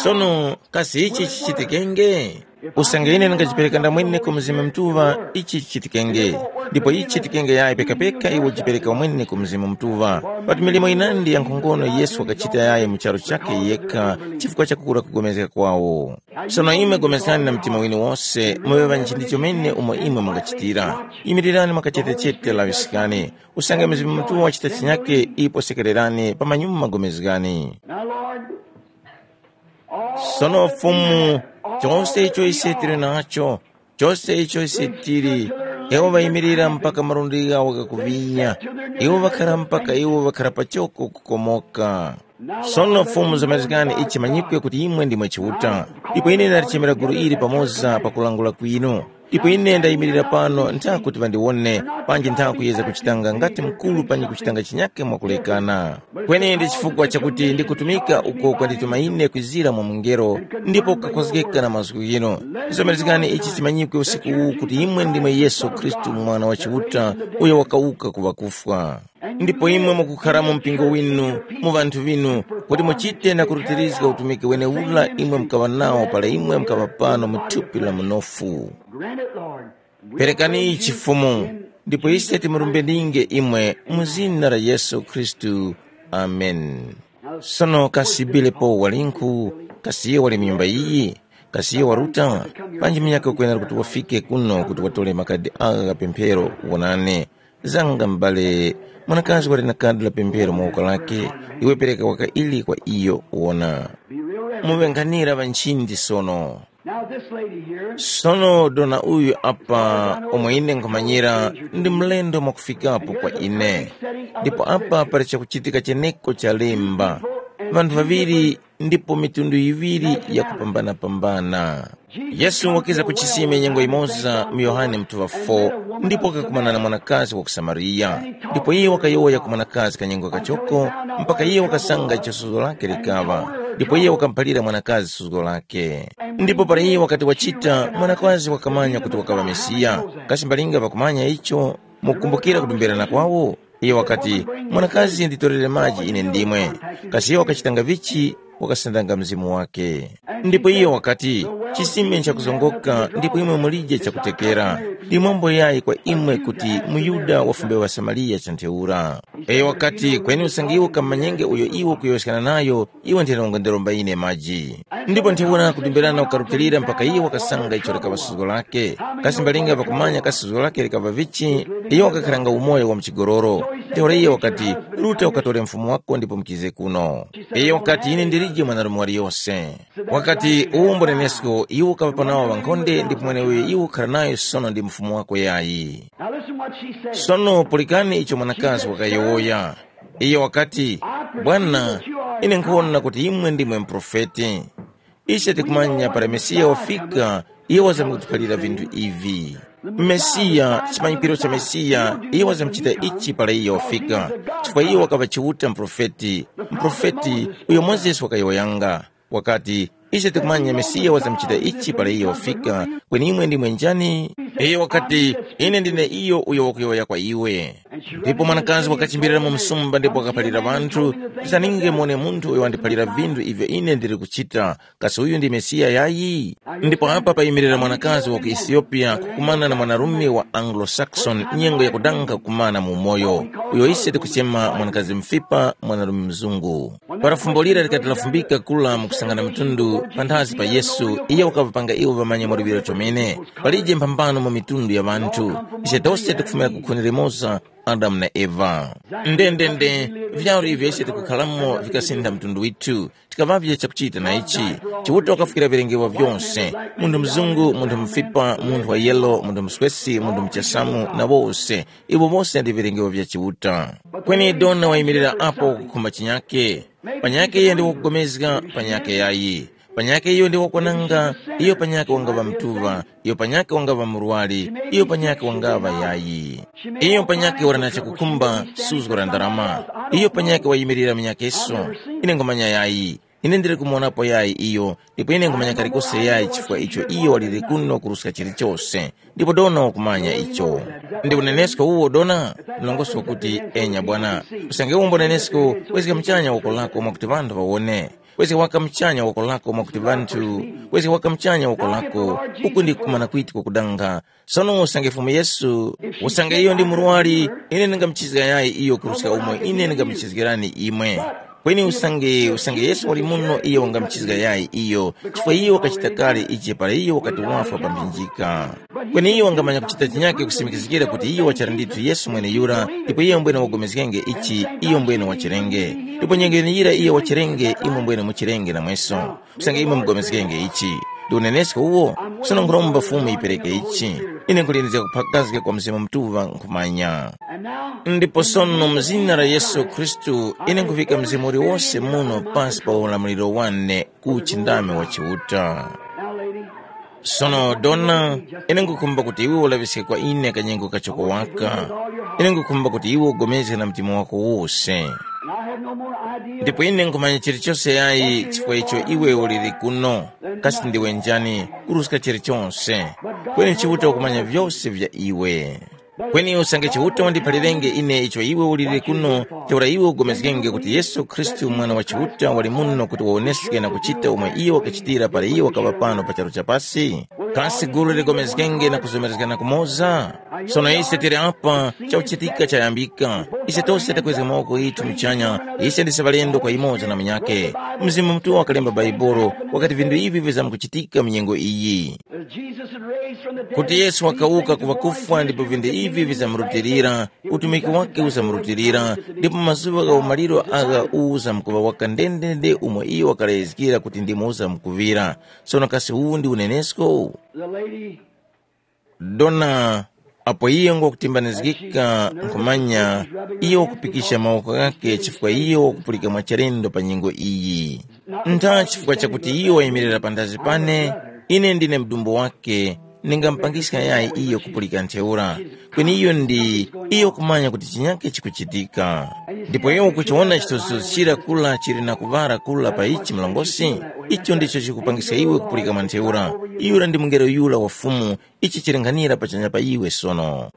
Sono kasi ichi chichitikenge? Usange ine ndingajipereka ndamwene ku Mzimu Mutuŵa, ichi chichitikenge. Ndipo ichi chichitikenge yayi pekapeka iwe ujipereka wamwene ku Mzimu Mutuŵa. Pati milimo yinandi yankhongono Yesu wakachita yayi mu charu chakhe yekha chifukwa cha kukura kugomezga kwawo. Sono imwe gomezgani na mtima winu wose, muŵe ŵanjindi chomene umo imwe mungachitira. Yimirirani mwakachetechete laŵiskani. Usange Mzimu Mutuŵa wachita chinyake, ipo sekererani pa manyuma gomezgani. Now, Lord, Sono Fumu, chose icho ise tili nacho, chose icho ise tili, iwo ŵayimirira mpaka malundi ghawo ghakuvinya, iwo ŵakhara mpaka iwo ŵakhara pachoko kukomoka. Sono Fumu zamazikani ichi manyikwe kuti imwe ndimwe Chiuta. Ndipo ine ndalichemera gulu ili pamoza pakulangula kwinu. Ndipo ine ndayimirira pano ntha kuti ŵandiwone, panji ntha kuyeza kuchitanga ngati mukuru panji kuchitanga chinyake mwakulekana. Kweni ndi chifukwa chakuti ndikutumika uko kwandituma ine kwizira mwa mungelo, ndipo kukakhozgeka na mazgu ghinu. Zomerezgani ichi chimanyikwe usiku uwu kuti imwe ndimwe Yesu Khristu, Mwana wa Chiuta, uyo wakawuka ku ŵakufwa. Ndipo imwe mukukhara mu mpingo winu, mu ŵanthu ŵinu, kuti muchite na kurutirizga utumiki wenewura imwe mukaŵa nawo para imwe mukaŵa pano mu thupi la munofu. Grant it, Lord. Perekani ichi Fumu, ndipo ise timurumbeninge imwe mu zina la Yesu Khristu. Amen. Sono kasi Bilepo walinkhu? Kasi iyo wali mu nyumba iyi? Kasi iyo waruta? Panji munyakhe ukwenera kuti wafike kuno kuti watore makadi agha gha pemphero, wonani. Zanga m'bale, mwanakazi wali na kadi la pemphero mu woko lake, iwe pereka waka ili kwa iyo, wona. Muŵe nkhanira ŵa nchindi sono. Now this lady here, Sono dona uyu apa, omwe ine nkhumanyira, ndi mlendo mwakufikapo kwa ine. Ndipo apa pali chakuchitika cheneko cha lemba, ŵanthu ŵaŵiri ndipo mitundu yiŵiri yakupambana-pambana. Yesu wakiza ku chisime nyengo yimoza mu Yohane mutuŵa four, ndipo wakakumana na mwanakazi wa ku Samariya. Ndipo iye wakayowoya ku mwanakazi kanyengo kachoko, mpaka iye wakasanga icho suzgo lake likaŵa. Ndipo iye wakamuphalira mwanakazi suzgo lake. Ndipo para iye wakati wachita, mwanakazi wakamanya kuti wakaŵa Mesiya. Kasi mbalinga ŵakumanya icho? Mukukumbukira kudumbirana kwawo? Iyo wakati, "Mwanakazi, nditorere maji ine ndimwe." Kasi iyo wakachitanga vichi? Wakasandanga mzimu wake. Ndipo iyo wakati, "Chisime nchakuzongoka, ndipo imwe mulije chakutekera." Ndi mwambo yayi kwa imwe kuti muYuda wafumbe ŵaSamariya cha ntheura. Iyo wakati, kweni usange iwo kamanyenge uyo iwo kuyowoskana nayo, iwe ntheno ungandiromba ine maji. Ndipo ntheura kudumbirana kukarutilira mpaka iye wakasanga icho likaŵa suzgo lake. Kasi mbalinga pakumanya kasi suzgo lake likaŵa vichi, iyo wakakharanga umoyo wa mchigololo. Ntheura iye wakati, ruta ukatore mfumu wako ndipo mukize kuno. Iyo wakati, ine ndilije mwanarume waliyose. Wakati, uwumbo nenesko iwo kaŵapa nawo ŵankhonde ndipo mweneuyo iwo ukhara nayo sono ndi mfumu wako yayi. Now listen what she said. Sono pulikani icho mwanakazi wakayowoya. Iyo wakati, bwana, ine nkhuwona kuti imwe ndimwe muprofeti. Ise tikumanya para Mesiya wafika, iye wazamkutiphalira vinthu ivi. Mesiya, chimanyikwiro cha Mesiya, iye wazamchita ichi para iye wafika. Chifukwa iye wakaŵa Chiuta muprofeti, muprofeti uyo Mozesi wakayowoyanga. Wakati, ise tikumanya Mesiya wazamchita ichi para iye wafika, kweni imwe ndimwe njani? Iyo wakati, ine ndine iyo uyo wakuyowoya kwa iwe. Ndipo mwanakazi wakachimbirira mu msumba ndipo wakaphalira ŵanthu, tisaninge muone munthu uyo wandiphalira vinthu ivyo ine ndili kuchita, kasi uyu ndi Mesiya yayi? Ndipo apa payimirira mwanakazi wa ku Ethiopia kukumana na mwanarume wa Anglo-Saxon nyengo yakudanga kukumana mu umoyo, uyo ise tikuchema mwanakazi mfipa mwanarume mzungu. Para fumbo lira likati lafumbika kula mu kusangana mitundu panthazi pa Yesu, iyo wakapanga iwo ŵamanya mwaluŵiro chomene. Palije mphambano mu mitundu ya ŵanthu. Ise tose tikufumira ku khuni limoza, Adamu na Eva. Ndendende, vyaru ivyo ise tikukhalamo vikasintha mtundu withu. Tikaŵavye chakuchita na ichi. Chiuta wakafukira vilengewa vyose, munthu mzungu, munthu mufipa, munthu wa yelo, munthu muswesi, munthu muchasamu, na wose. Iwo wose ndi vilengewa vya Chiuta. Kweni dona wayimirira apo kukhumba chinyake. Panyake iye ndi wakugomezga, panyake yayi. Panyake iyo ndi wakwananga, iyo panyake wangaŵa mtuŵa, iyo panyake wangaŵa murwari, iyo panyake wangaŵa yayi. Iyo panyake wali na chakukhumba, suzgo la ndarama. Iyo panyake wayimirira munyakeso. Ine ngumanya yayi. Ine ndili kumuwonapo yayi iyo, ndipo ine ngumanya kalikose yayi chifukwa icho iyo waliri kuno kuruska chilichose. Ndipo dona wakumanya icho. Ndi unenesko uwo dona? Mlongosi wakuti, enya bwana. Usange umbo nenesko, wezga mchanya woko lako mwakuti ŵanthu ŵawone. Wezga waka mchanya woko lako mwakuti ŵanthu, wezga waka mchanya woko lako, uku ndi kumana kwiti kwakudanga. Sono usange Fumu Yesu, usange iyo ndi murwari, ine ndingamuchizga yayi iyo kuruska umo ine ndingamuchizgirani imwe. Kweni usange usange Yesu wali muno iyo wangamuchizga yayi iyo, chifukwa iyo wakachita kale ichi para iyo wakati wafwa pa mphinjika. Kweni iyo wangamanya kuchita chinyake kusimikizgira kuti iyo wachara ndithu Yesu mweneyura, ndipo iyo mbwene wagomezgenge ichi, iyo mbwene wachirenge. Ndipo nyengo yeneyira iyo wachirenge, imwe mbwene muchirenge namweso. Kusanga imwe mugomezgenge ichi. Ndi unenesko uwo, sono nkhuromba Fumu yipereke ichi. Ine nkulindizga kuphakazga kwa Mzimu Mutuŵa nkhumanya. Ndipo sono mu zina la Yesu Khristu, ine nkhuvika mzimu uliwose muno pasi pa ulamuliro wane ku uchindami wa Chiuta. Sono dona, ine nkukhumba kuti iwe ulaŵiske kwa ine kanyengo kachoko waka. Ine nkukhumba kuti iwe ugomezge na mtima wako wose. Ndipo ine nkhumanya chilichose yayi chifukwa icho iwe uliri kuno. Kasi ndiwe njani? Kuruska chilichose. Kweni Chiuta ukumanya vyose vya iwe. Kweni usange Chiuta wandiphalirenge ine icho iwe uliri kuno, ntheura iwe ugomezgenge kuti Yesu Khristu Mwana wa Chiuta wali muno kuti wawoneske na kuchita umo iyo wakachitira para iyo wakaŵa pano pa charu cha pasi? Kasi gulu ligomezgenge na kuzomerezgana kumoza? Sono ise tili apa, chakuchitika chayambika. Ise tose takwezga mawoko ghithu muchanya, ise ndise ŵalendo kwa yumoza na munyakhe. Mzimu Mutuŵa wakalemba Bhaibuli, wakati vinthu ivi vizamkuchitika mu nyengo iyi. Kuti Yesu wakawuka ku ŵakufwa ndipo vinthu ivi vizamurutilira, utumiki wake uzamurutilira, ndipo mazuŵa gha umaliro agha uzamkuŵa waka ndendende umo iyo wakalezgera kuti ndimo uzamkuŵira. Sono kasi uwu ndi unenesko? Dona, apo iyo ngwakutimbanizgika nkhumanya, iyo wakupikisha mawoko ghakhe chifukwa iyo wakupulika mwachalendo pa nyengo iyi. Ntha chifukwa chakuti iyo wayimirira panthazi pane, ine ndine mdumbu wake, ndingamupangiska yayi iyo kupulika ntheura. Kweni iyo ndi, iyo kumanya kuti chinyake chikuchitika. Ndipo iyo ukuchiwona chithunzithunzi chira kula chili na kuŵala kula pa ichi mlongosi? Icho ndicho chikupangiska iwe kupulika mwa ntheura. Yura ndi mungelo yura wa Fumu, ichi chilinghanira pachanya pa iwe sono.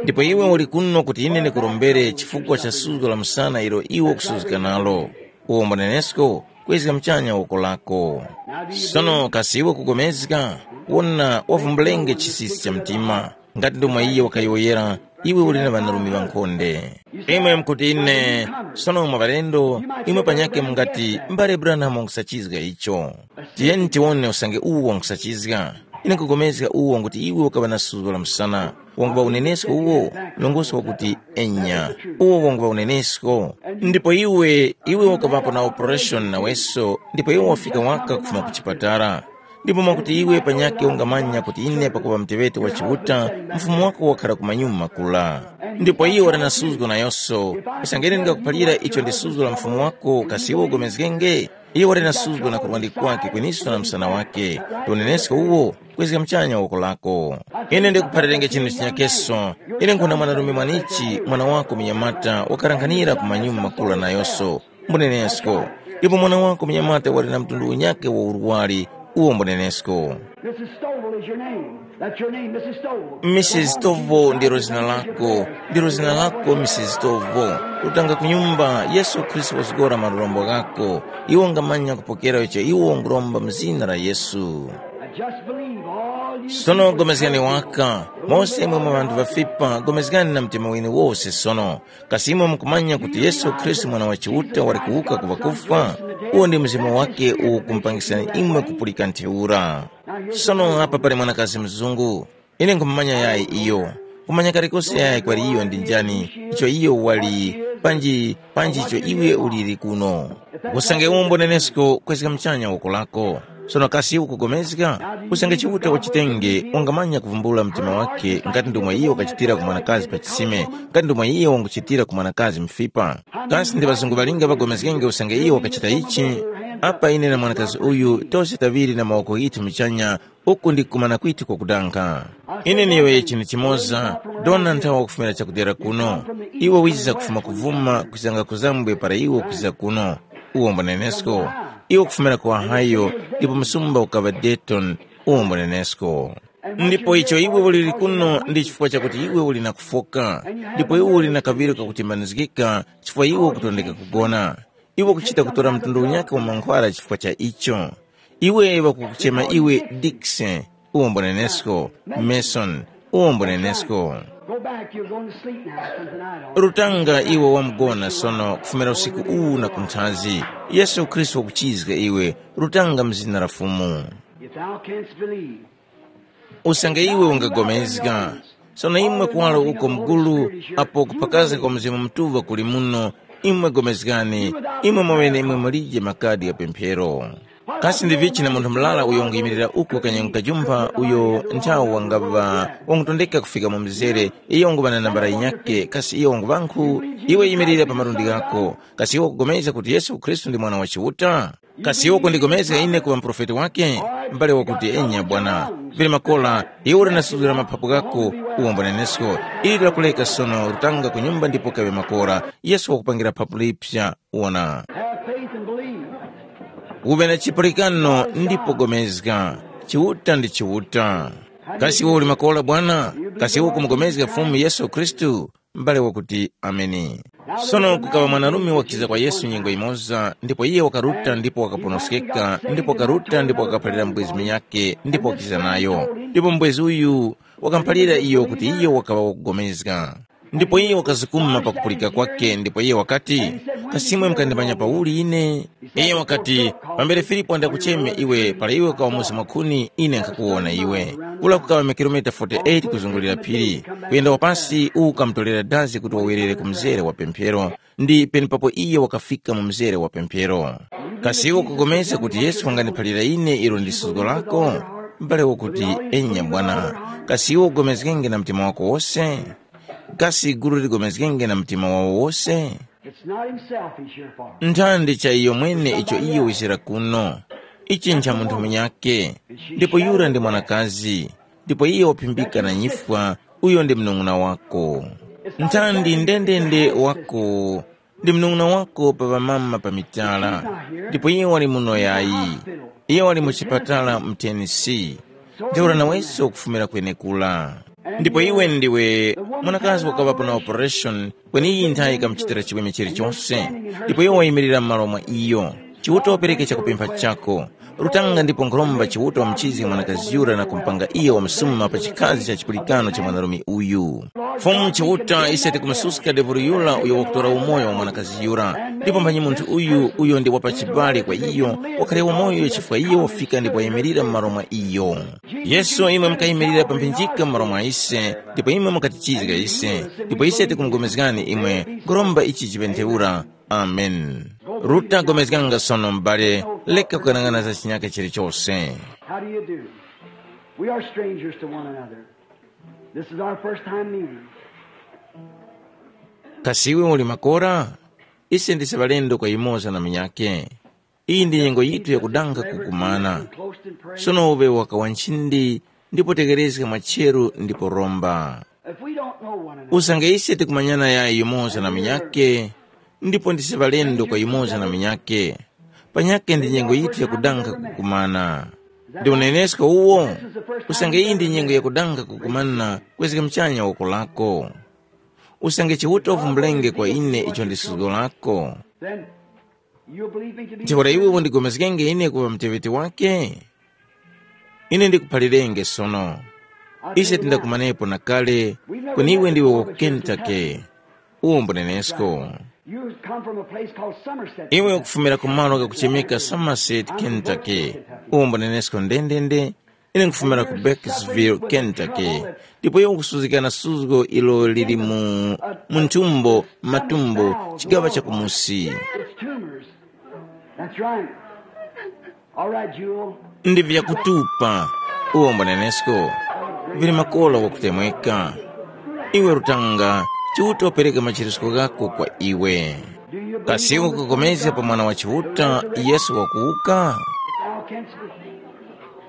Ndipo iwe uli kuno kuti ine ndikurombere chifukwa cha suzgo la msana ilo iwe ukusuzgika nalo. Uwombo nenesko, kwezga mchanya woko lako. Sono kasi iwe kugomezga? Wona, wavumbulenge chisisi cha mtima. Ngati ndomwe iye wakayowoyera, iwe uli na ŵanarume ŵankhonde. Imwe mukuti ine, sono mwa ŵalendo, imwe panyakhe mungati, mbale Branham wankusachizga icho. Tiyeni tiwone usange uwo wankusachizga. Ine nkupulikana uwo kuti iwe ukaŵa na suzgo la msana. Wanguŵa unenesko uwo, nongoso wakuti, enya. Uwo wanguŵa unenesko. Ndipo iwe, iwe ukaŵapo na operation naweso, ndipo iwe wafika waka kufuma ku chipatala. Ndipo mwakuti iwe panyakhe ungamanya kuti ine pakuŵa muteŵeti wa Chiuta, mfumu wako wakhara ku manyuma kula. Ndipo iyo wali na suzgo nayonso, usange ine ndingakuphalira icho ndi suzgo la mfumu wako, kasi iwe ugomezgenge? Iyo wali na suzgo na kurwandi kwake kweniso na msana wake. Ndi unenesko uwo, kwezga muchanya woko lako. Ine ndikuphalirenge chinthu chinyakeso. Ine nkhuna mwanarume mwanichi, mwana wako munyamata, wakharanghanira ku manyuma makula nayonso. Mbunenesko. Ipo mwana wako munyamata wali na mtundu unyakhe wa urwari, uwo mbunenesko. Missus Stovall. That's your name, Missus Stovall. Missus Stovall ndilo zina lako, ndilo zina lako Missus Stovall. Rutanga ku nyumba, Yesu Khristu wazgora malombo ghako. Iwo ngamanya kupokera icho iwo nguromba mu zina la Yesu. Now just believe all you sono gomezgani waka, mose imwe mwa ŵanthu ŵafipa, gomezgani na mtima winu wose sono. Kasi imwe mukumanya kuti Yesu Khristu Mwana wa Chiuta wali kuwuka ku ŵakufwa? Uwo ndi mzimu wake uwo ukumupangisani imwe kupulika ntheura. Sono apa pali mwanakazi mzungu. Ine nkhumumanya yayi iyo. Kumanya kalikose yayi kwali iyo ndi njani, icho iyo wali, panji, panji icho iwe uliri kuno. Usange umbo nenesko kwezga mchanya woko lako. Sono kasi ukugomezga? Usange Chiuta wachitenge, ungamanya kuvumbula mtima wake ngati ndomwe iyo wakachitira ku mwanakazi pa chisime, ngati ndomwe iyo wanguchitira ku mwanakazi mfipa. Kasi ndi ŵazungu ŵalinga ŵagomezgenge usange iyo wakachita ichi? Apa ine na mwanakazi uyu tose taŵiri na mawoko ghithu muchanya, uku ndi kumana kwithu kwakudanga. Ine niyowoye chinthu chimoza, dona nthawa wakufumira chakudyera kuno. Iwe wiza kufuma kuvuma kuzanga kuzambwe para iwe kwiza kuno. Uwombo nenesko. Iwe kufumira ku Ohio, ndipo msumba ukaŵa Dayton. Uwombo nenesko. Ndipo icho iwe uliri kuno ndi chifukwa chakuti iwe uli na kufoka, ndipo iwe uli na kaŵiro kakutimbanizgika chifukwa iwe ukutondeka kugona. Iwe ukuchita kutora mtundu unyakhe wa mankhwara chifukwa cha icho. Iwe ŵakukuchema iwe Dikse, uwo mbonenesko, Mason, uwo mbonenesko. Go back, you're going to sleep now, something I don't. Rutanga iwe wamugona sono kufumira usiku uwu na kunthazi. Yesu Khristu wakuchizga iwe, rutanga mu zina la Fumu. If thou canst believe, usange iwe ungagomezga. Sono imwe kuwaro uko mugulu, apo kuphakaska kwa Mzimu Mutuŵa kuli muno, imwe gomezgani, imwe mwaŵene imwe mulije makadi gha pemphero. Kasi ndi vichi na munthu murara uyo wanguyimirira uko kanyengo kajumpha uyo nthawo wangaŵa wangutondeka kufika mu mzere, iyo wanguŵa na nambala yinyakhe, kasi iyo wanguŵankhu? Iwe yimirira pa malundi ghako. Kasi iwe ukugomezga kuti Yesu Khristu ndi Mwana wa Chiuta? Kasi iwe ukundigomezga ine kuŵa muprofeti wake? M'bale wakuti, enya bwana, vili makora, iwe uli na suzgo la maphapu ghako, uwombo nenesko. Ili lakuleka sono, rutanga ku nyumba ndipo kaŵe makora. Yesu wakupangira phapu lipsa. Wona. Have faith and believe. Uŵe na chipulikano ndipo gomezga. Chiuta ndi Chiuta. Kasi iwe uli makora bwana? Kasi iwe ukumugomezga Fumu Yesu Khristu? M'bale wakuti, ameni. Sono kukaŵa mwanarume wakiza kwa Yesu nyengo yimoza, ndipo iye wakaruta ndipo wakaponoskeka, ndipo wakaruta ndipo wakaphalira mbwezi munyakhe ndipo wakiza nayo. Ndipo mbwezi uyu wakamuphalira iyo kuti iyo wakaŵa wakugomezga. Ndipo iyo wakazukuma pakupulika kwake ndipo iyo wakati, kasi imwe mukandimanya pauli ine? Iyo wakati, pambere Filipo andakucheme iwe para iwe ukawa musi mwakhuni, ine nkhakuwona iwe. Kula kukaŵa makilomita forty-eight kuzungulira phiri, kuyenda wapansi uwu ukamutorera dazi kuti wawerere ku mzere wa pemphero, ndi penepapo iye wakafika mu mzere wa pemphero. Kasi iwe ukugomezga kuti Yesu wangandiphalira ine ilo ndi suzgo lako? M'bale wakuti, enya bwana. Kasi iwe ugomezgenge na mtima wako wose? Kasi gulu ligomezgenge na mtima wawo wose? It's not himself he's here for. Nthandi cha iyo mwene icho iyo wisira kuno. Ichi ncha munthu munyakhe. Ndipo yura ndi mwanakazi. Ndipo iyo waphimbika na nyifwa, uyo ndi mnong'una wako. Nthandi ndendende wako. Ndi mnong'una wako pa ŵamama pa mitala. Ndipo iye wali muno yayi. Iye wali mu chipatala mu Tennessee. Ntheura naweso ukufumira kwenekura. Ndipo iwe ndiwe mwanakazi wakaŵapo na operation, kweni iyi nthayi ikamuchitira chiweme chilichonse. Ndipo iwe wayimirira m'malo mwa iyo. Chiuta wapereke chakupempha chako. Rutanga ndipo nkhuromba Chiuta wamuchizge mwanakazi yura na kumupanga iyo wamsuma pa chikhazi cha chipulikano cha mwanarume uyu. Fumu Chiuta, ise tikumususka devulu yura uyo wakutora umoyo wa mwanakazi yura. Ndipo mphanyi munthu uyu, uyo ndi wapachibale kwa iyo, wakhale umoyo chifukwa iyo wafika ndipo wayimirira m'malo mwa iyo. Yesu, imwe mukayimirira pa mphinjika m'malo mwa ise, ndipo imwe mukatichizga ise, ndipo ise tikumugomezgani imwe. Nkhuromba ichi chipentheura. Amen. Ruta, gomezganga sono m'bale, leka kukanang'ana za chinyaka chilichose. How do you do? We are strangers to one another. This is our first time meeting. Kasi iwe uli makora? Ise ndise ŵalendo kwa yumoza na munyake. Iyi ndi nyengo yithu yakudanga kukumana. Sono uŵe waka wa nchindi, ndipo tekerezga mwacheru ndipo romba. If we don't know one another, usange ise tikumanyana yayi yumoza na munyake, ndipo ndise ŵalendo kwa yumoza na munyake, panyake ndi nyengo yithu yakudanga kukumana. Ndi unenesko uwo? Usange iyi ndi nyengo yakudanga kukumana, kwezga muchanya woko lako. Usange Chiuta uvumbulenge kwa ine icho ndi suzgo lako, then you'll believe me to be ntheura iwe undigomezgenge ine kuŵa muteŵeti wake? Ine ndikuphalirenge sono. Ise tindakumanepo na kale, kweni iwe ndiwe wa ku Kentucky. Uwo mbunenesko. You come from a place called Somerset. Iwe ukufumira ku malo kakuchemeka Somerset, Kentucky. Uwo mbunenesko ndendende. Ine nkufumira ku Burkesville, Kentucky. Ndipo iwe ukusuzgikana suzgo ilo lili mu, mu nthumbo, matumbo, chigaŵa chakumusi. It's tumors. That's right. All right, Jewel. Ndi vyakutupa. Uwo mbunenesko. Vili makola wakutemweka. Iwe Rutanga, Chiuta wapereka machirisko ghako kwa iwe. Kasi ukupulikana pa Mwana wa Chiuta, Yesu wakuwuka?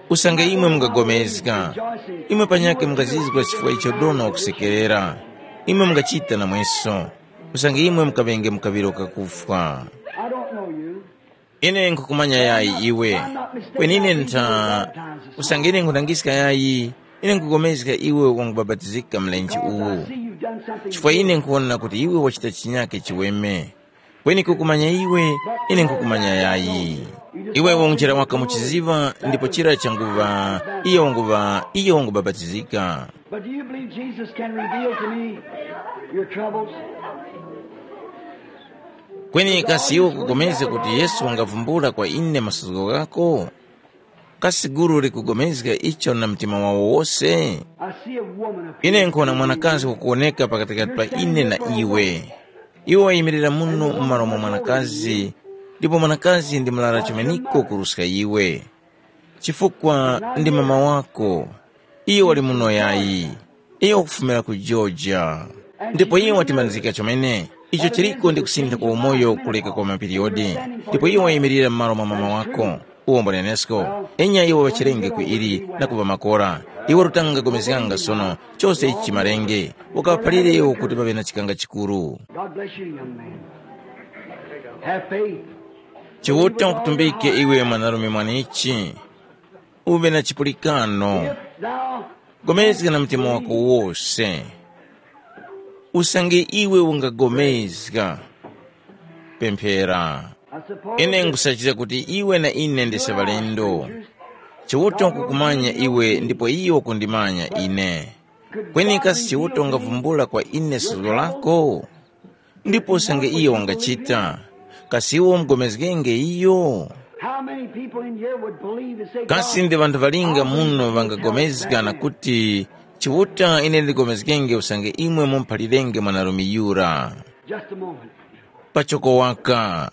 Usange imwe mungapulikana, imwe panyakhe mungazizwa chifukwa icho dona wakusekerera. Imwe mungachita namweso. Usange imwe mukaŵenge mu kaŵiro kakufwa. I don't know you. Ine nkhukumanya yayi iwe. Kweni ine ntha, usange ine nkhudangiska yayi, ine nkhupulikana iwe wangubapatizika mlenje uwu. Chifukwa ine nkhuwona kuti iwe wachita chinyake chiweme. Kweni kukumanya iwe, ine nkhukumanya yayi. Iwe wanguchera waka muchiziŵa, ndipo chira changuŵa, iyo wanguŵa, iyo wangubapatizika. But do you believe Jesus can reveal to me your troubles? Kweni kasi iwe ukupulikana kuti Yesu wangavumbula kwa ine masuzgo ghako? Kasi gulu likupulikana icho na mtima wawo wose? I see a woman appear. Ine nkuwona mwanakazi wakuwoneka pakatikati pa ine na iwe. Iwe wayimirira muno m'malo mwa mwanakazi, ndipo mwanakazi ndi murara chumaniko kuruska iwe. Chifukwa ndi mama wako. Iyo wali muno yayi. Iyo wakufumira ku Georgia. Ndipo iyo watimanizika chomene. Icho chiliko ndi kusintha kwa umoyo kuleka kwa mapiriyodi. Ndipo iyo wayimirira m'malo mwa mama wako. Uwo mbunenesko. Enya iwo ŵachirenge ku ili na kuŵa makora. Iwo rutanga gomezganga sono. Chose ichi chimarenge. Ukawaphalire iwo kuti paŵe na chikanga chikuru. God bless you, young man. Have faith. Chiuta wakutumbike iwe mwanarume mwanichi. Uŵe na chipulikano. If thou gomezga na mtima wako wose. Usange iwe ungagomezga, pemphera. I suppose ine nkusachita kuti iwe na ine ndise ŵalendo. Chiuta wakukumanya iwe ndipo iyo wakundimanya ine. Kweni kasi Chiuta ungavumbula kwa ine suzgo lako? Ndipo usange iyo wangachita, kasi iwe umugomezgenge iyo? How many people in here would believe and say, kasi God, ndi ŵanthu ŵalinga muno ŵangagomezga na kuti, Chiuta, ine ndigomezgenge usange imwe mumphalirenge mwanarume yura? Just a moment. Pachoko waka.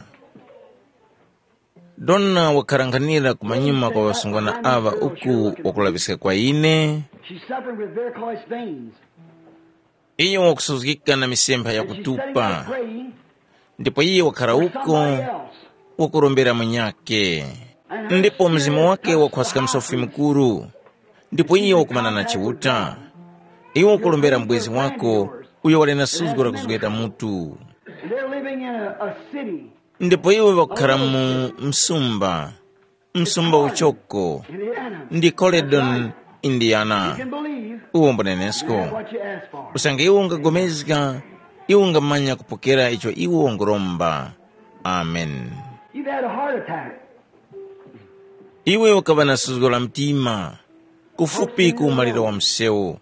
Dona wakharanghanira kumanyuma kwa ŵasungwana aŵa uku wakulaŵiska kwa ine. She's suffering with varicose veins. Iyo wakusuzgika na misempha yakutupa. Ndipo iye wakhara uko, wakurombera munyakhe. Ndipo mzimu wake wakhwaska msofi mukuru. Ndipo iye wakumana na Chiuta. Iwe ukurombera mubwezi wako, uyo wali na suzgo la kuzgeta mutu. And they're living in a, a city. Ndipo iwe wakukhara mu msumba, msumba uchoko, ndi Coledon, Indiana. Uwo mbunenesko. Usange iwe ungagomezga, iwe ungamanya kupokera icho iwe unguromba. Amen. You've had a heart attack. Iwe ukaŵa na suzgo la mtima, kufupi ku umaliro wa msewu.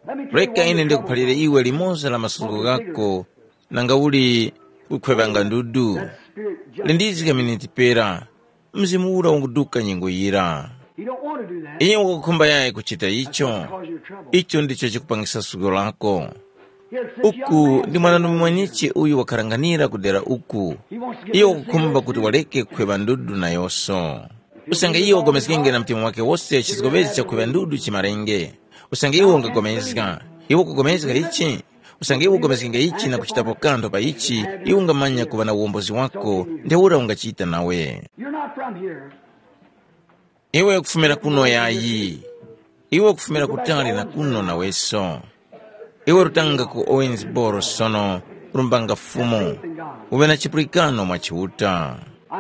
Let me tell you reka one ine example. Ndikuphalire iwe limoza la masuzgo ghako, nanga uli kukhwevanga ndudu. That spirit just lindizika miniti pera, mzimu ura unguduka nyengo yira. You don't want to do that. Iye ukukhumba yayi kuchita icho. Cause your trouble. Icho ndicho chikupangisa suzgo lako. Here, this young uku man ndi mwanandume mwenichi uyu wakharanganira kudera uku. He wants to get iye in the ukukhumba kuti waleke kukhweva ndudu nayonso. Usange iye wagomezgenge na mtima wake wose chizgomezi chakuŵa ndudu chimarenge. Usange iwe ungagomezga, iwe ukugomezga ichi. Usange iwe ugomezgenge ichi na kuchitapo kanthu pa ichi, iwe ungamanya kuŵa na uwombozi wako. Ntheura ungachita nawe. You're not from here. Iwe ukufumira kuno yayi. Iwe ukufumira kutali na kuno naweso. Iwe rutanga ku Owensboro sono, rumbanga Fumu, uŵe na chipulikano mwa Chiuta.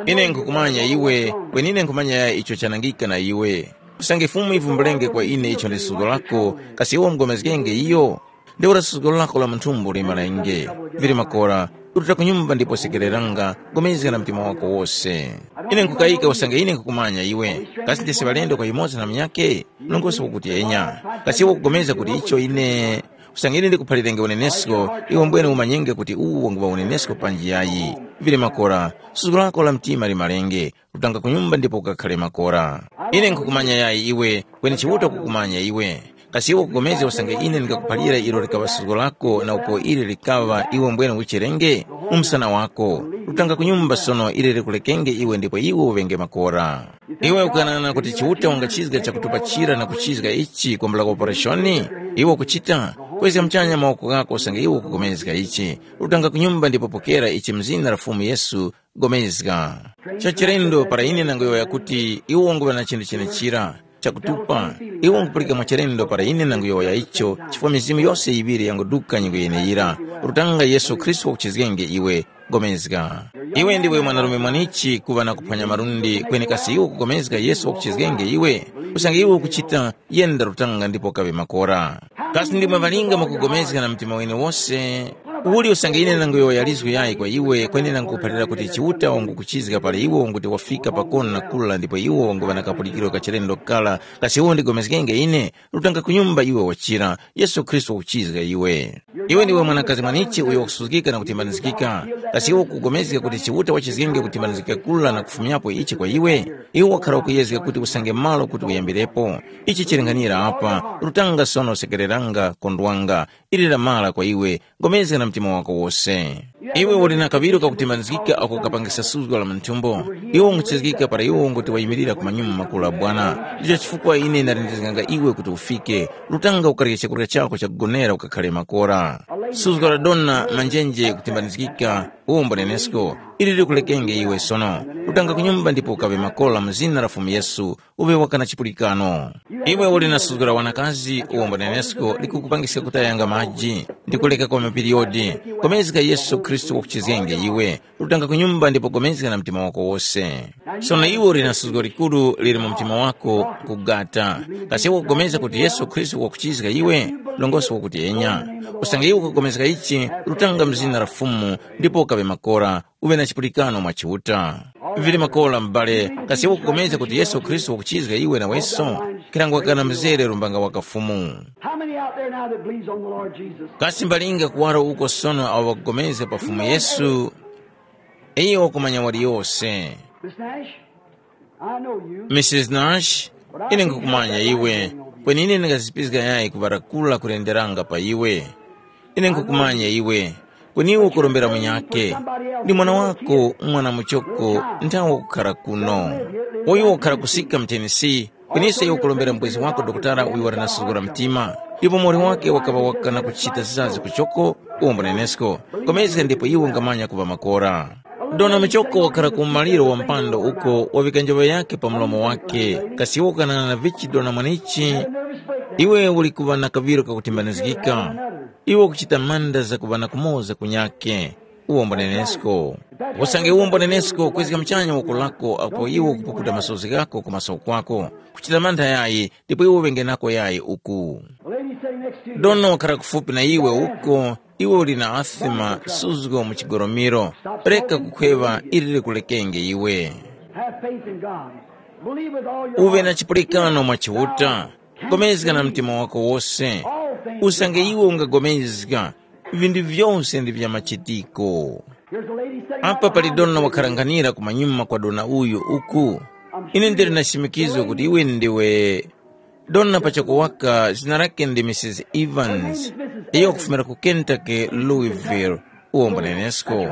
Ine nkhukumanya iwe, kweni ine nkhumanya icho chanangika na iwe. Usange Fumu ivumbulenge kwa ine icho ndi suzgo lako, kasi iwe umugomezgenge iyo? Ntheura suzgo lako la mu nthumbo limalenge. Vili makora, ruta ku nyumba ndipo sekereranga, gomezga na mtima wako wose. Ine nkhukayika usange ine nkhukumanya iwe. Kasi ndesi ŵalendo kwa yumoza na munyakhe? Nongoso wakuti enya. Kasi iwe ukupulikana kuti icho ine usange ine ndikuphalirenge unenesko, iwe mbwene umanyenge kuti uwu wanguŵa unenesko panji yayi. Vili makora, suzgo lako la mtima limalenge, rutanga ku nyumba ndipo ukakhale makora. Ine nkhukumanya yayi iwe, kweni Chiuta ukukumanya iwe. Kasi iwe ukupulikana usange ine ndingakuphalira ilo likaŵa suzgo lako na uko ili likaŵa iwe mbwene ucherenge? Mu msana wako, rutanga ku nyumba sono ili likulekenge iwe ndipo iwe uŵenge makora. Iwe ukughanagana kuti Chiuta wangachizga chakutupachira na kuchizga ichi kwambula kwa opereshoni? Iwe ukuchita, kwezga muchanya mawoko ghako usange iwe ukupulikana ichi. Rutanga ku nyumba ndipo pokera ichi mu zina la Fumu Yesu, pulikana. Chachilendo para ine nanguyowoya kuti iwe wanguŵa na chinthu chenechira chakutupa, iwe wangupulika mwachilendo para ine nanguyowoya icho, chifukwa mizimu yose yiŵiri yanguduka nyengo yeneyira. Rutanga Yesu Khristu wakuchizgenge iwe, pulikana. Iwe ndiwe mwanarume mwanichi kuŵa na kuphwanya malundi, kweni kasi iwe ukupulikana Yesu wakuchizgenge iwe? Usange iwe ukuchita, yenda rutanga ndipo kaŵe makora. Kasi ndimwe ŵalinga mukupulikana na mtima wene wose? Uli usange ine nanguyowoya lizgu yayi kwa iwe, kweni nangukuphalira kuti Chiuta wangukuchizga para iwe wanguti wafika pakono na kula ndipo iwe wanguŵa na kapulikiro ka chilendo kala, kasi iwe undigomezgenge ine? Rutanga ku nyumba iwe wachira, Yesu Khristu wakuchizga iwe. Iwe ndiwe mwanakazi mwanichi uyo wakusuzgika na kutimbanizgika. Kasi iwe ukugomezga kuti Chiuta wachizgenge kutimbanizgika kula na kufumyapo ichi kwa iwe? Iwe wakhara ukuyezga kuti usange malo kuti uyambirepo. Ichi chilinganyira apa, rutanga sono sekereranga, kondwanga, ili lamara kwa iwe, gomezga na mtima wako wose. Iwe uli na kaŵiro kakutimbanizgika ako kapangisa suzgo la mu nthumbo. Iwe unguchizgika para iwe unguti wayimirira ku manyuma makuru la Bwana. Ndicho chifukwa ine ndalindizganga iwe kuti ufike. Rutanga ukarye chakurya chako chakugonera ukakhale makora. Suzgo la dona manjenje kutimbanizgika, uwombo nenesko, ili likulekenge iwe sono. Rutanga ku nyumba ndipo ukaŵe makora mu zina la Fumu Yesu, uŵe waka na chipulikano. Iwe uli na suzgo la wanakazi uwombo nenesko likukupangiska kutayanga maji, ndi kuleka kwa mapiriyodi. Gomezga Yesu Khristu wakuchizgenge iwe. Rutanga ku nyumba ndipo gomezga na mtima wako wose. Sono iwe uli na suzgo likuru lili mu mtima wako kugata. Kasi iwe ukugomezga kuti Yesu Khristu wakuchizga iwe? Longoso wakuti enya. Usange iwe ukugomezga ichi, rutanga mu zina la Fumu, ndipo ukaŵe makora, uŵe na chipulikano mwa Chiuta. Vili makora m'bale, kasi iwe ukupulikana kuti Yesu Khristu wakuchizga iwe naweso? Khirangwakana mzere rumbanga waka Fumu. How many out there now that believes on the Lord Jesus? Kasi mbalinga kuwaro uko sono awo ŵakupulikana pa Fumu Yesu? Iyo wakumanya waliyose. Miss Nash, I know you. Missus Nash, ine nkukumanya iwe, kweni ine ndingazipizga yayi kuŵarakula kulenderanga pa iwe. Ine nkukumanya iwe, kweni iwe ukurombera munyakhe. Ndi mwana wako, mwana muchoko, nthawe wakukhara kuno. Uyu wakukhara kusika mu Tennessee, kweninso iwe ukurombera mubwezi wako dokotala uyo wali na suzgo la mtima. Ndipo muwoli wake wakaŵa wakana kuchita zizazi kuchoko, uwombo nenesko. Komezga ndipo iwe ungamanya kuŵa makora. Dona muchoko wakhara ku umaliro wa mpando uko wavika njoŵa yake pa mlomo wake. Kasi iwe ukanang'ana vichi dona mwanichi? Iwe uli kuŵa na kaŵiro kakutimbanizgika. Iwe ukuchita mantha zakuŵa na kumoza kunyakhe. Uwombo nenesko. Usange uwombo nenesko kwezga muchanya woko lako apo iwe ukupukuta masozi ghako ku maso kwako. Kuchita mantha yayi, ndipo iwe uŵenge nako yayi uku. Dona wakhara kufupi na iwe uko, Iwe uli na asima, suzgo mu chigoromiro. Reka kukhweŵa, ili likulekenge iwe. Have faith in God. Believe with all your Uve na heart. Chipulikano mwa Chiuta. Gomezga na mtima wako wose. Usange iwe ungagomezga, vindu vyose ndi vya machitiko. Here's a lady sitting right Apa pali behind dona the wakharanghanira kumanyuma kwa dona uyu uku. Ine ndili na chimikizo kuti iwe ndiwe dona pachako waka, zina lake ndi Missus Evans. Iyo wakufumira ku Kentucky, Louisville. Uwo mbunenesko.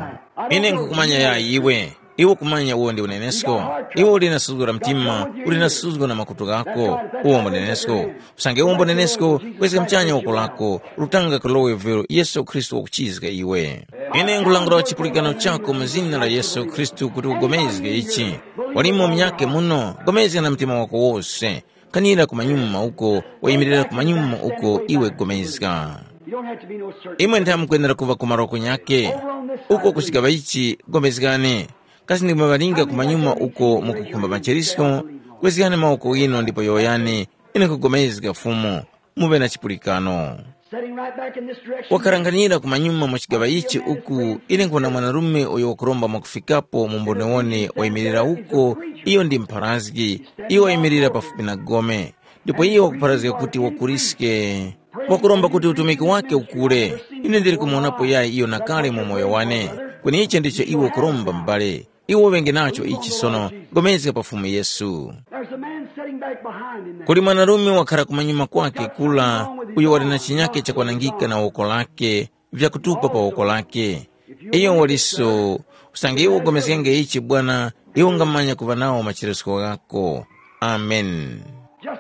Ine nkukumanya ya iwe. Iwe ukumanya uwo ndi unenesko. Iwe uli na suzgo la mtima, uli na suzgo na makutu ghako. Uwo mbunenesko. Usange uwo mbunenesko, kwezga mchanya woko lako, lutanga ku Louisville, Yesu Khristu wakuchizga iwe. Ine nkulangula chipulikano chako mu zina la Yesu Khristu kuti ugomezge ichi. Walimo munyake muno, gomezga na mtima wako wose. Kanira kumanyuma uko, wayimirira kumanyuma uko iwe gomezga. You don't have to be no certain. Imwe nthamukwenera kuŵa ku maroko nyake. Uko ku chigaŵa ichi, gomezgani. Kasi ndimwe ŵalinga kumanyuma uko mukukhumba macherisko, kwezgani mawoko ghinu ndipo yowoyani, ine nkugomezga Fumu, muŵe na chipulikano. Setting right back in this direction. Wakaranganira kumanyuma mu chigaŵa ichi uku, ine nkuwona mwanarume uyo wakuromba mwakufikapo mu mbonewone wayimirira uko, iyo ndi mpharazgi, iyo wayimirira pafupi na gome. Ndipo iye wakupharazga kuti wakuriske, wakuromba kuti utumiki wake ukule. Ine ndili kumuwonapo yayi iyo na kale mu moyo wane. Kweni ichi ndicho iwe ukuromba m'bale. Iwe uŵenge nacho ichi sono, gomezga pa Fumu Yesu. There's a man sitting back behind him there. Kuli mwanarume wakhala kumanyuma kwake kula, uyo wali na chinyake chakwanangika na woko lake, vyakutupa pa woko lake. Iyo waliso, usange iwe ugomezgenge ichi Bwana, iwe ungamanya kuŵa nawo macheresko ghako. Amen.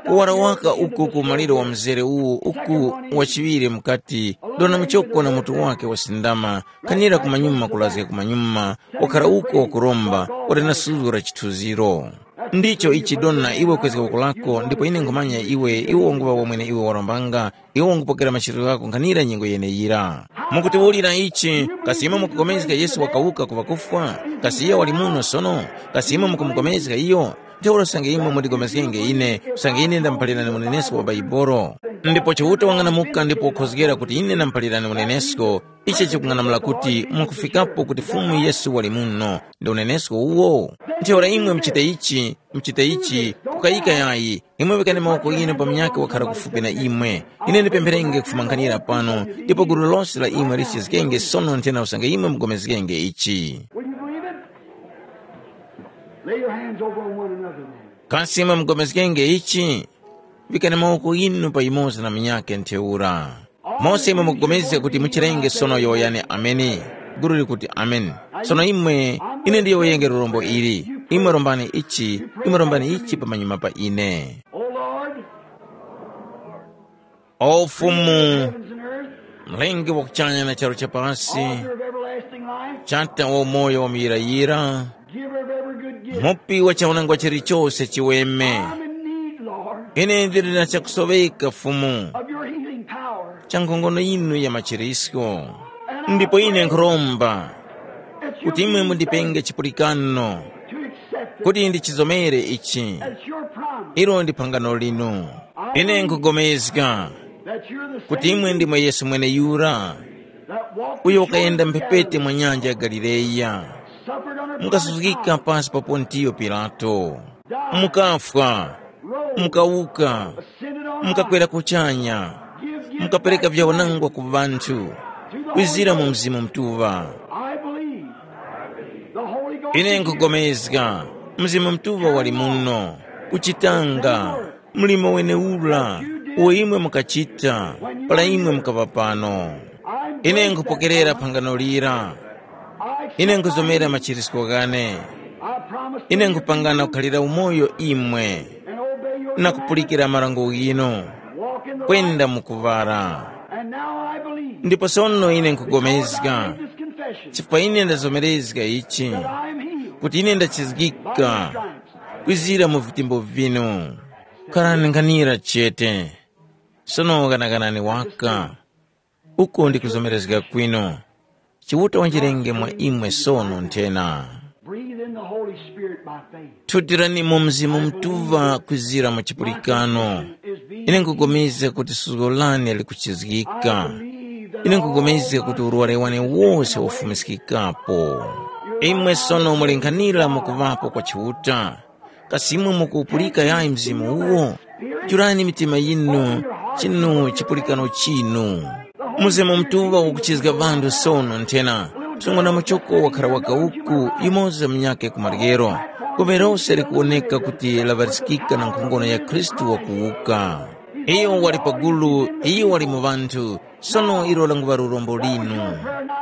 Kuwara waka uku ku maliro wa mzere uwu uku wachiŵire mukati, dona muchoko na mutu wake wasindama, kanira kumanyuma kulazga kumanyuma, wakhara uko wakuromba, wali na suzgo la chithunziro. Ndicho ichi dona iwe kwezga woko lako, ndipo ine nkhumanya iwe, iwe wanguŵa wamwene iwe warombanga, iwe wangupokera machitiro ghako nkhanira nyengo yeneyira. Mukutiwulira ichi, kasi imwe mukupulikana Yesu wakawuka ku ŵakufwa? Kasi iyo wali muno sono? Kasi imwe mukumupulikana iyo? Ntheura usange imwe mundipulikane ine, usange ine ndamuphalirani unenesko wa Baibolo. Ndipo Chiuta wang'anamuka ndipo wakhozgera kuti ine ndamuphalirani unenesko, ichi chikung'anamula kuti mwakufikapo kuti Fumu Yesu wali muno, ndi unenesko uwo. Ntheura imwe muchite ichi, muchite ichi, kukayika yayi, imwe vikani mawoko ghinu pa munyakhe wakhara kufupi na imwe. Ine ndipempherenge kufuma nkhanira pano, ndipo gulu lose la imwe lichizgikenge sono nthena usange imwe mugomezgenge ichi. Will you believe it? Lay your hands over on one another then. Kasi imwe mugomezgenge ichi? Vikani mawoko ghinu pa yumoza na munyakhe ntheura. Mose imwe mukupulikana kuti muchirenge sono yowoyani ameni. Gulu likuti ameni. Sono imwe, ine ndiyowoyenge lurombo ili. Imwe rombani ichi, imwe rombani ichi pamanyuma pa ine. O Lord, O Fumu, heavens and earth, mlengi wa kuchanya na charu chapasi, author of everlasting life, chata wa umoyo wa muyirayira, giver of every good gift. Mupi wa chaunangwa chilichose chiweme. I'm in need, Lord, Ine ndili na chakusoweka Fumu, of your healing power. Cha nkhongono yinu ya machirisko. And I Ndipo ine pray nkhuromba that you kuti imwe be mundipenge faithful chipulikano to accept it kuti ndichizomere ichi. As your promise. Ilo ndi phangano linu. Ine nkugomezga that you're the kuti same imwe ndimwe Yesu mweneyura that walked uyo the shores wakayenda of mphepete Galilee, mwa nyanja ya Galileya. Suffered under mukasuzgika Pontius Pilate, pansi pa Pontiyo Pilato, mukafwa, mukawuka, mukakwera kuchanya, mukapereka vyawanangwa ku ŵanthu, kwizira mu Mzimu Mutuŵa. I believe the Holy Ghost Ine is here. Nkugomezga, Mzimu Mutuŵa wali muno, kuchitanga mlimo wenewura uwo imwe mukachita para imwe mukaŵa pano. Ine nkhupokerera phangano lira. Ine nkhuzomera machirisko ghane. Ine nkhupangana kukhalira umoyo imwe na kupulikira marango ghinu, kwenda mu kuŵala. Ndipo sono ine nkhugomezga, chifukwa ine ndazomerezga ichi, kuti ine ndachizgika kwizira mu vitimbo vinu. Kharani nkhanira chete. Sono ghanaganani waka. Uku ndi kuzomerezga kwinu. Chiuta wanjirenge mwa imwe sono nthena. Breathe in the Holy Spirit by faith. Thutirani mu Mzimu Mutuŵa kwizira mu chipulikano. Ine nkupulikana kuti suzgo lane likuchizgika. Ine nkupulikana kuti urwari wane wose wafumiskikapo. Imwe sono mulenkhanira mukuŵapo kwa Chiuta. Kasi imwe mukupulika yayi mzimu uwo? Jurani mitima yinu, chinu chipulikano chinu. Mzimu Mutuŵa ukuchizga ŵanthu sono nthena. Msungwana muchoko wakhara waka uku, yumoza munyakhe ku maryero. Gome lose likuwoneka kuti laŵariskika na nkhongono ya Khristu wakuwuka. Iyo wali pagulu, iyo wali mu ŵanthu, sono ilo languŵa lurombo linu.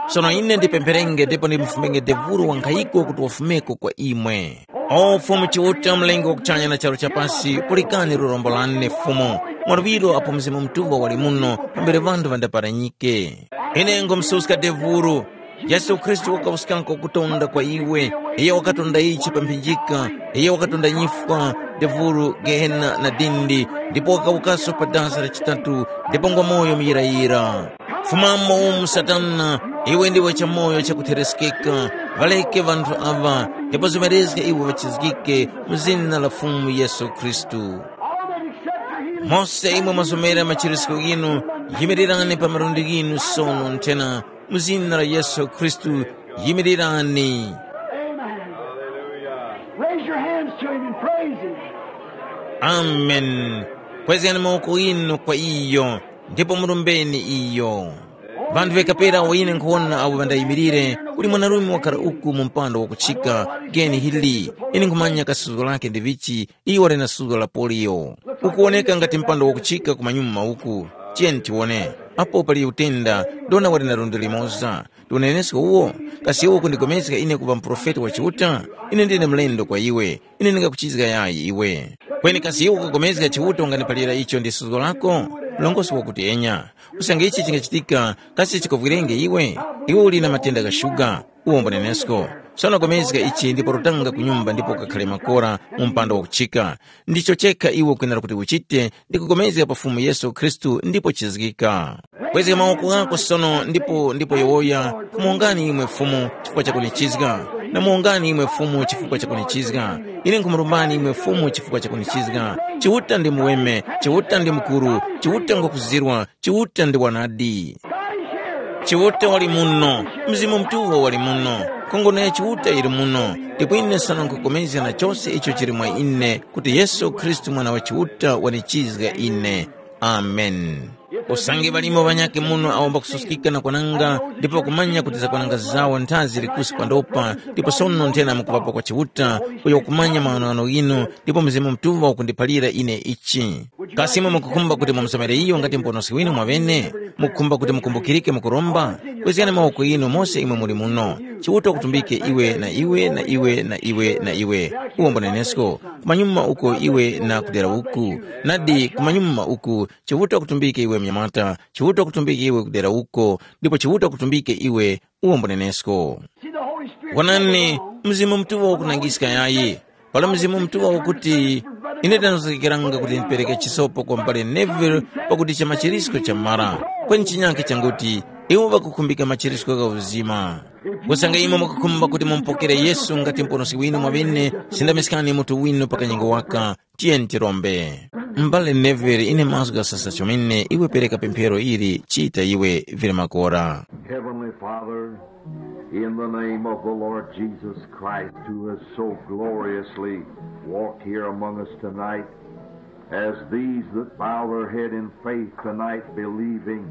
Sono ine ndipempherenge ndipo ndimufumenge devuro wankhayiko kuti wafumeko kwa imwe. O Fumu Chiuta, Mlengi wa kuchanya na charu cha pasi, pulikani lurombo lane Fumu. Mwaluŵiro apo Mzimu Mutuŵa wali muno, pambere ŵanthu ŵandaparanyike. Ine ngumususka devuro. Yesu Khristu wakawuskanga kutonda kwa iwe. Iye wakatonda ichi pa mphinjika. Iye wakatonda nyifwa, devuro, gehena na dindi, ndipo wakawukaso pa dasa la chitatu, ndipo ngwa moyo muyirayira. Fumamo umu Satana, iwe ndiwe chamoyo chakuthereskeka. Ŵaleke ŵanthu aŵa, ndipo zimerezge iwe ŵachizgike mu zina la Fumu Yesu Khristu. Mose imwe mwazomera machirisko ghinu, yimirirani pa malundi ghinu sono nthena, mu zina la Yesu Khristu, yimirirani. Amen. Raise your hands to him and praise him. Amen. Kwezgani mawoko ghinu kwa iyo, ndipo murombeni iyo. Vanthu vekapera awo ine nkhuwona awo ŵandayimirire, kuli mwanarume wakhala uku mu mpando wakuchika, geni hili, ine nkhumanya kasuzgo lake ndi vichi, iyo wali na suzgo la poliyo. Ukuwoneka ngati mpando wakuchika kumanyuma uku. Tiyeni tiwone. Apo pali utenda, ndona wali na lundi limoza. Ndi unenesko uwo? Kasi iwe ukundigomezga ine kuŵa muprofeti wa Chiuta? Ine ndine mlendo kwa iwe. Ine ndingakuchizga yayi iwe. Kweni kasi iwe ukugomezga Chiuta unganiphalira icho ndi suzgo lako? Mlongosi wakuti enya. Usange ichi chingachitika, kasi chikuvwirenge iwe? Iwe uli na matenda gha shuga. Uwombo nenesko. Sono gomezga ichi ndipo rutanga ku nyumba ndipo ukakhale makora mu mpando wakuchika. Ndicho chekha iwe ukwinira kuti uchite, ndi kugomezga pa Fumu Yesu Khristu ndipo chizgika. Kwezga mawoko ghako sono ndipo ndipo yowoya, kumuwongani imwe Fumu chifukwa chakunichizga. Namuwongani imwe Fumu chifukwa chakunichizga. Ine nkhumurumbani imwe Fumu chifukwa chakunichizga. Chiuta ndi muweme, Chiuta ndi mukuru, Chiuta ngwakuzirwa, Chiuta ndi wanadi. Chiuta wali muno, Mzimu Mutuŵa wali muno, nkhongono ya Chiuta yili muno, ndipo ine sono nkhupulikana na chose icho chili mwa ine kuti Yesu Khristu Mwana wa Chiuta wanichizga ine. Amen. Usange ŵalimo ŵanyakhe muno awo mbakususkika na kwananga ndipo ŵakumanya kuti zakwananga zawo nthazi zili kusi pandopa, ndipo sono nthena mukuŵapo kwa Chiuta, uyo wakumanya maghanoghano ghinu, ndipo Mzimu Mutuŵa ukundiphalira ine ichi. Kasi imwe mukukhumba kuti mumusomere iyo ngati Muponoski winu mwaŵene? Mukukhumba kuti mukumbukirike mukuromba? Kwezgani mawoko ghinu mose imwe muli muno. Chiuta wakutumbike iwe na iwe na iwe na iwe na iwe. Uwombo nenesko. Kumanyuma uko iwe na kudera uku. Nadi kumanyuma uku, Chiuta wakutumbike iwe mnyamata. Chiuta wakutumbike iwe kudera uko. Ndipo Chiuta wakutumbike iwe uwombo nenesko. Wonani, Mzimu Mutuŵa wakunangiska yayi. Pala Mzimu Mutuŵa wakuti, ine ndanazogekeranga kuti ndipereke chisopo kwa m'bale Neville pakuti cha machirisko chamara. Kweni chinyakhe changuti, iwo ŵakukhumbika machirisko gha uzima. Kusanga imwe mukakhumba kuti mumupokere Yesu ngati Muponoski winu mwaŵene, sindamiskani mutu winu pa kanyengo waka. Tiyeni tirombe. M'bale Neville, ine mazgu ghasasa chomene, iwe pereka pemphero ili, chita iwe vili makora. Heavenly Father, in the name of the Lord Jesus Christ, who has so gloriously walked here among us tonight, as these that bow their head in faith tonight, believing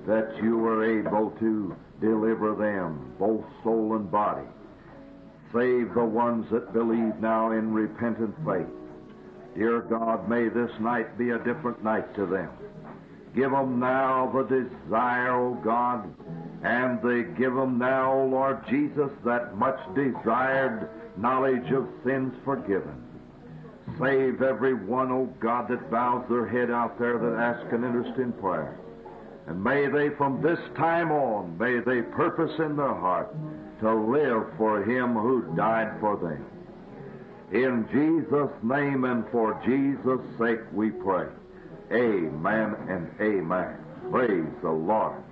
that you are able to deliver them, both soul and body. Save the ones that believe now in repentant faith. Dear God, may this night be a different night to them. Give them now the desire, O God, and they give them now, O Lord Jesus, that much desired knowledge of sins forgiven. Save every one, O God, that bows their head out there that asks an interest in prayer. And may they from this time on, may they purpose in their heart to live for him who died for them. In Jesus' name and for Jesus' sake we pray. Amen and amen. Praise the Lord.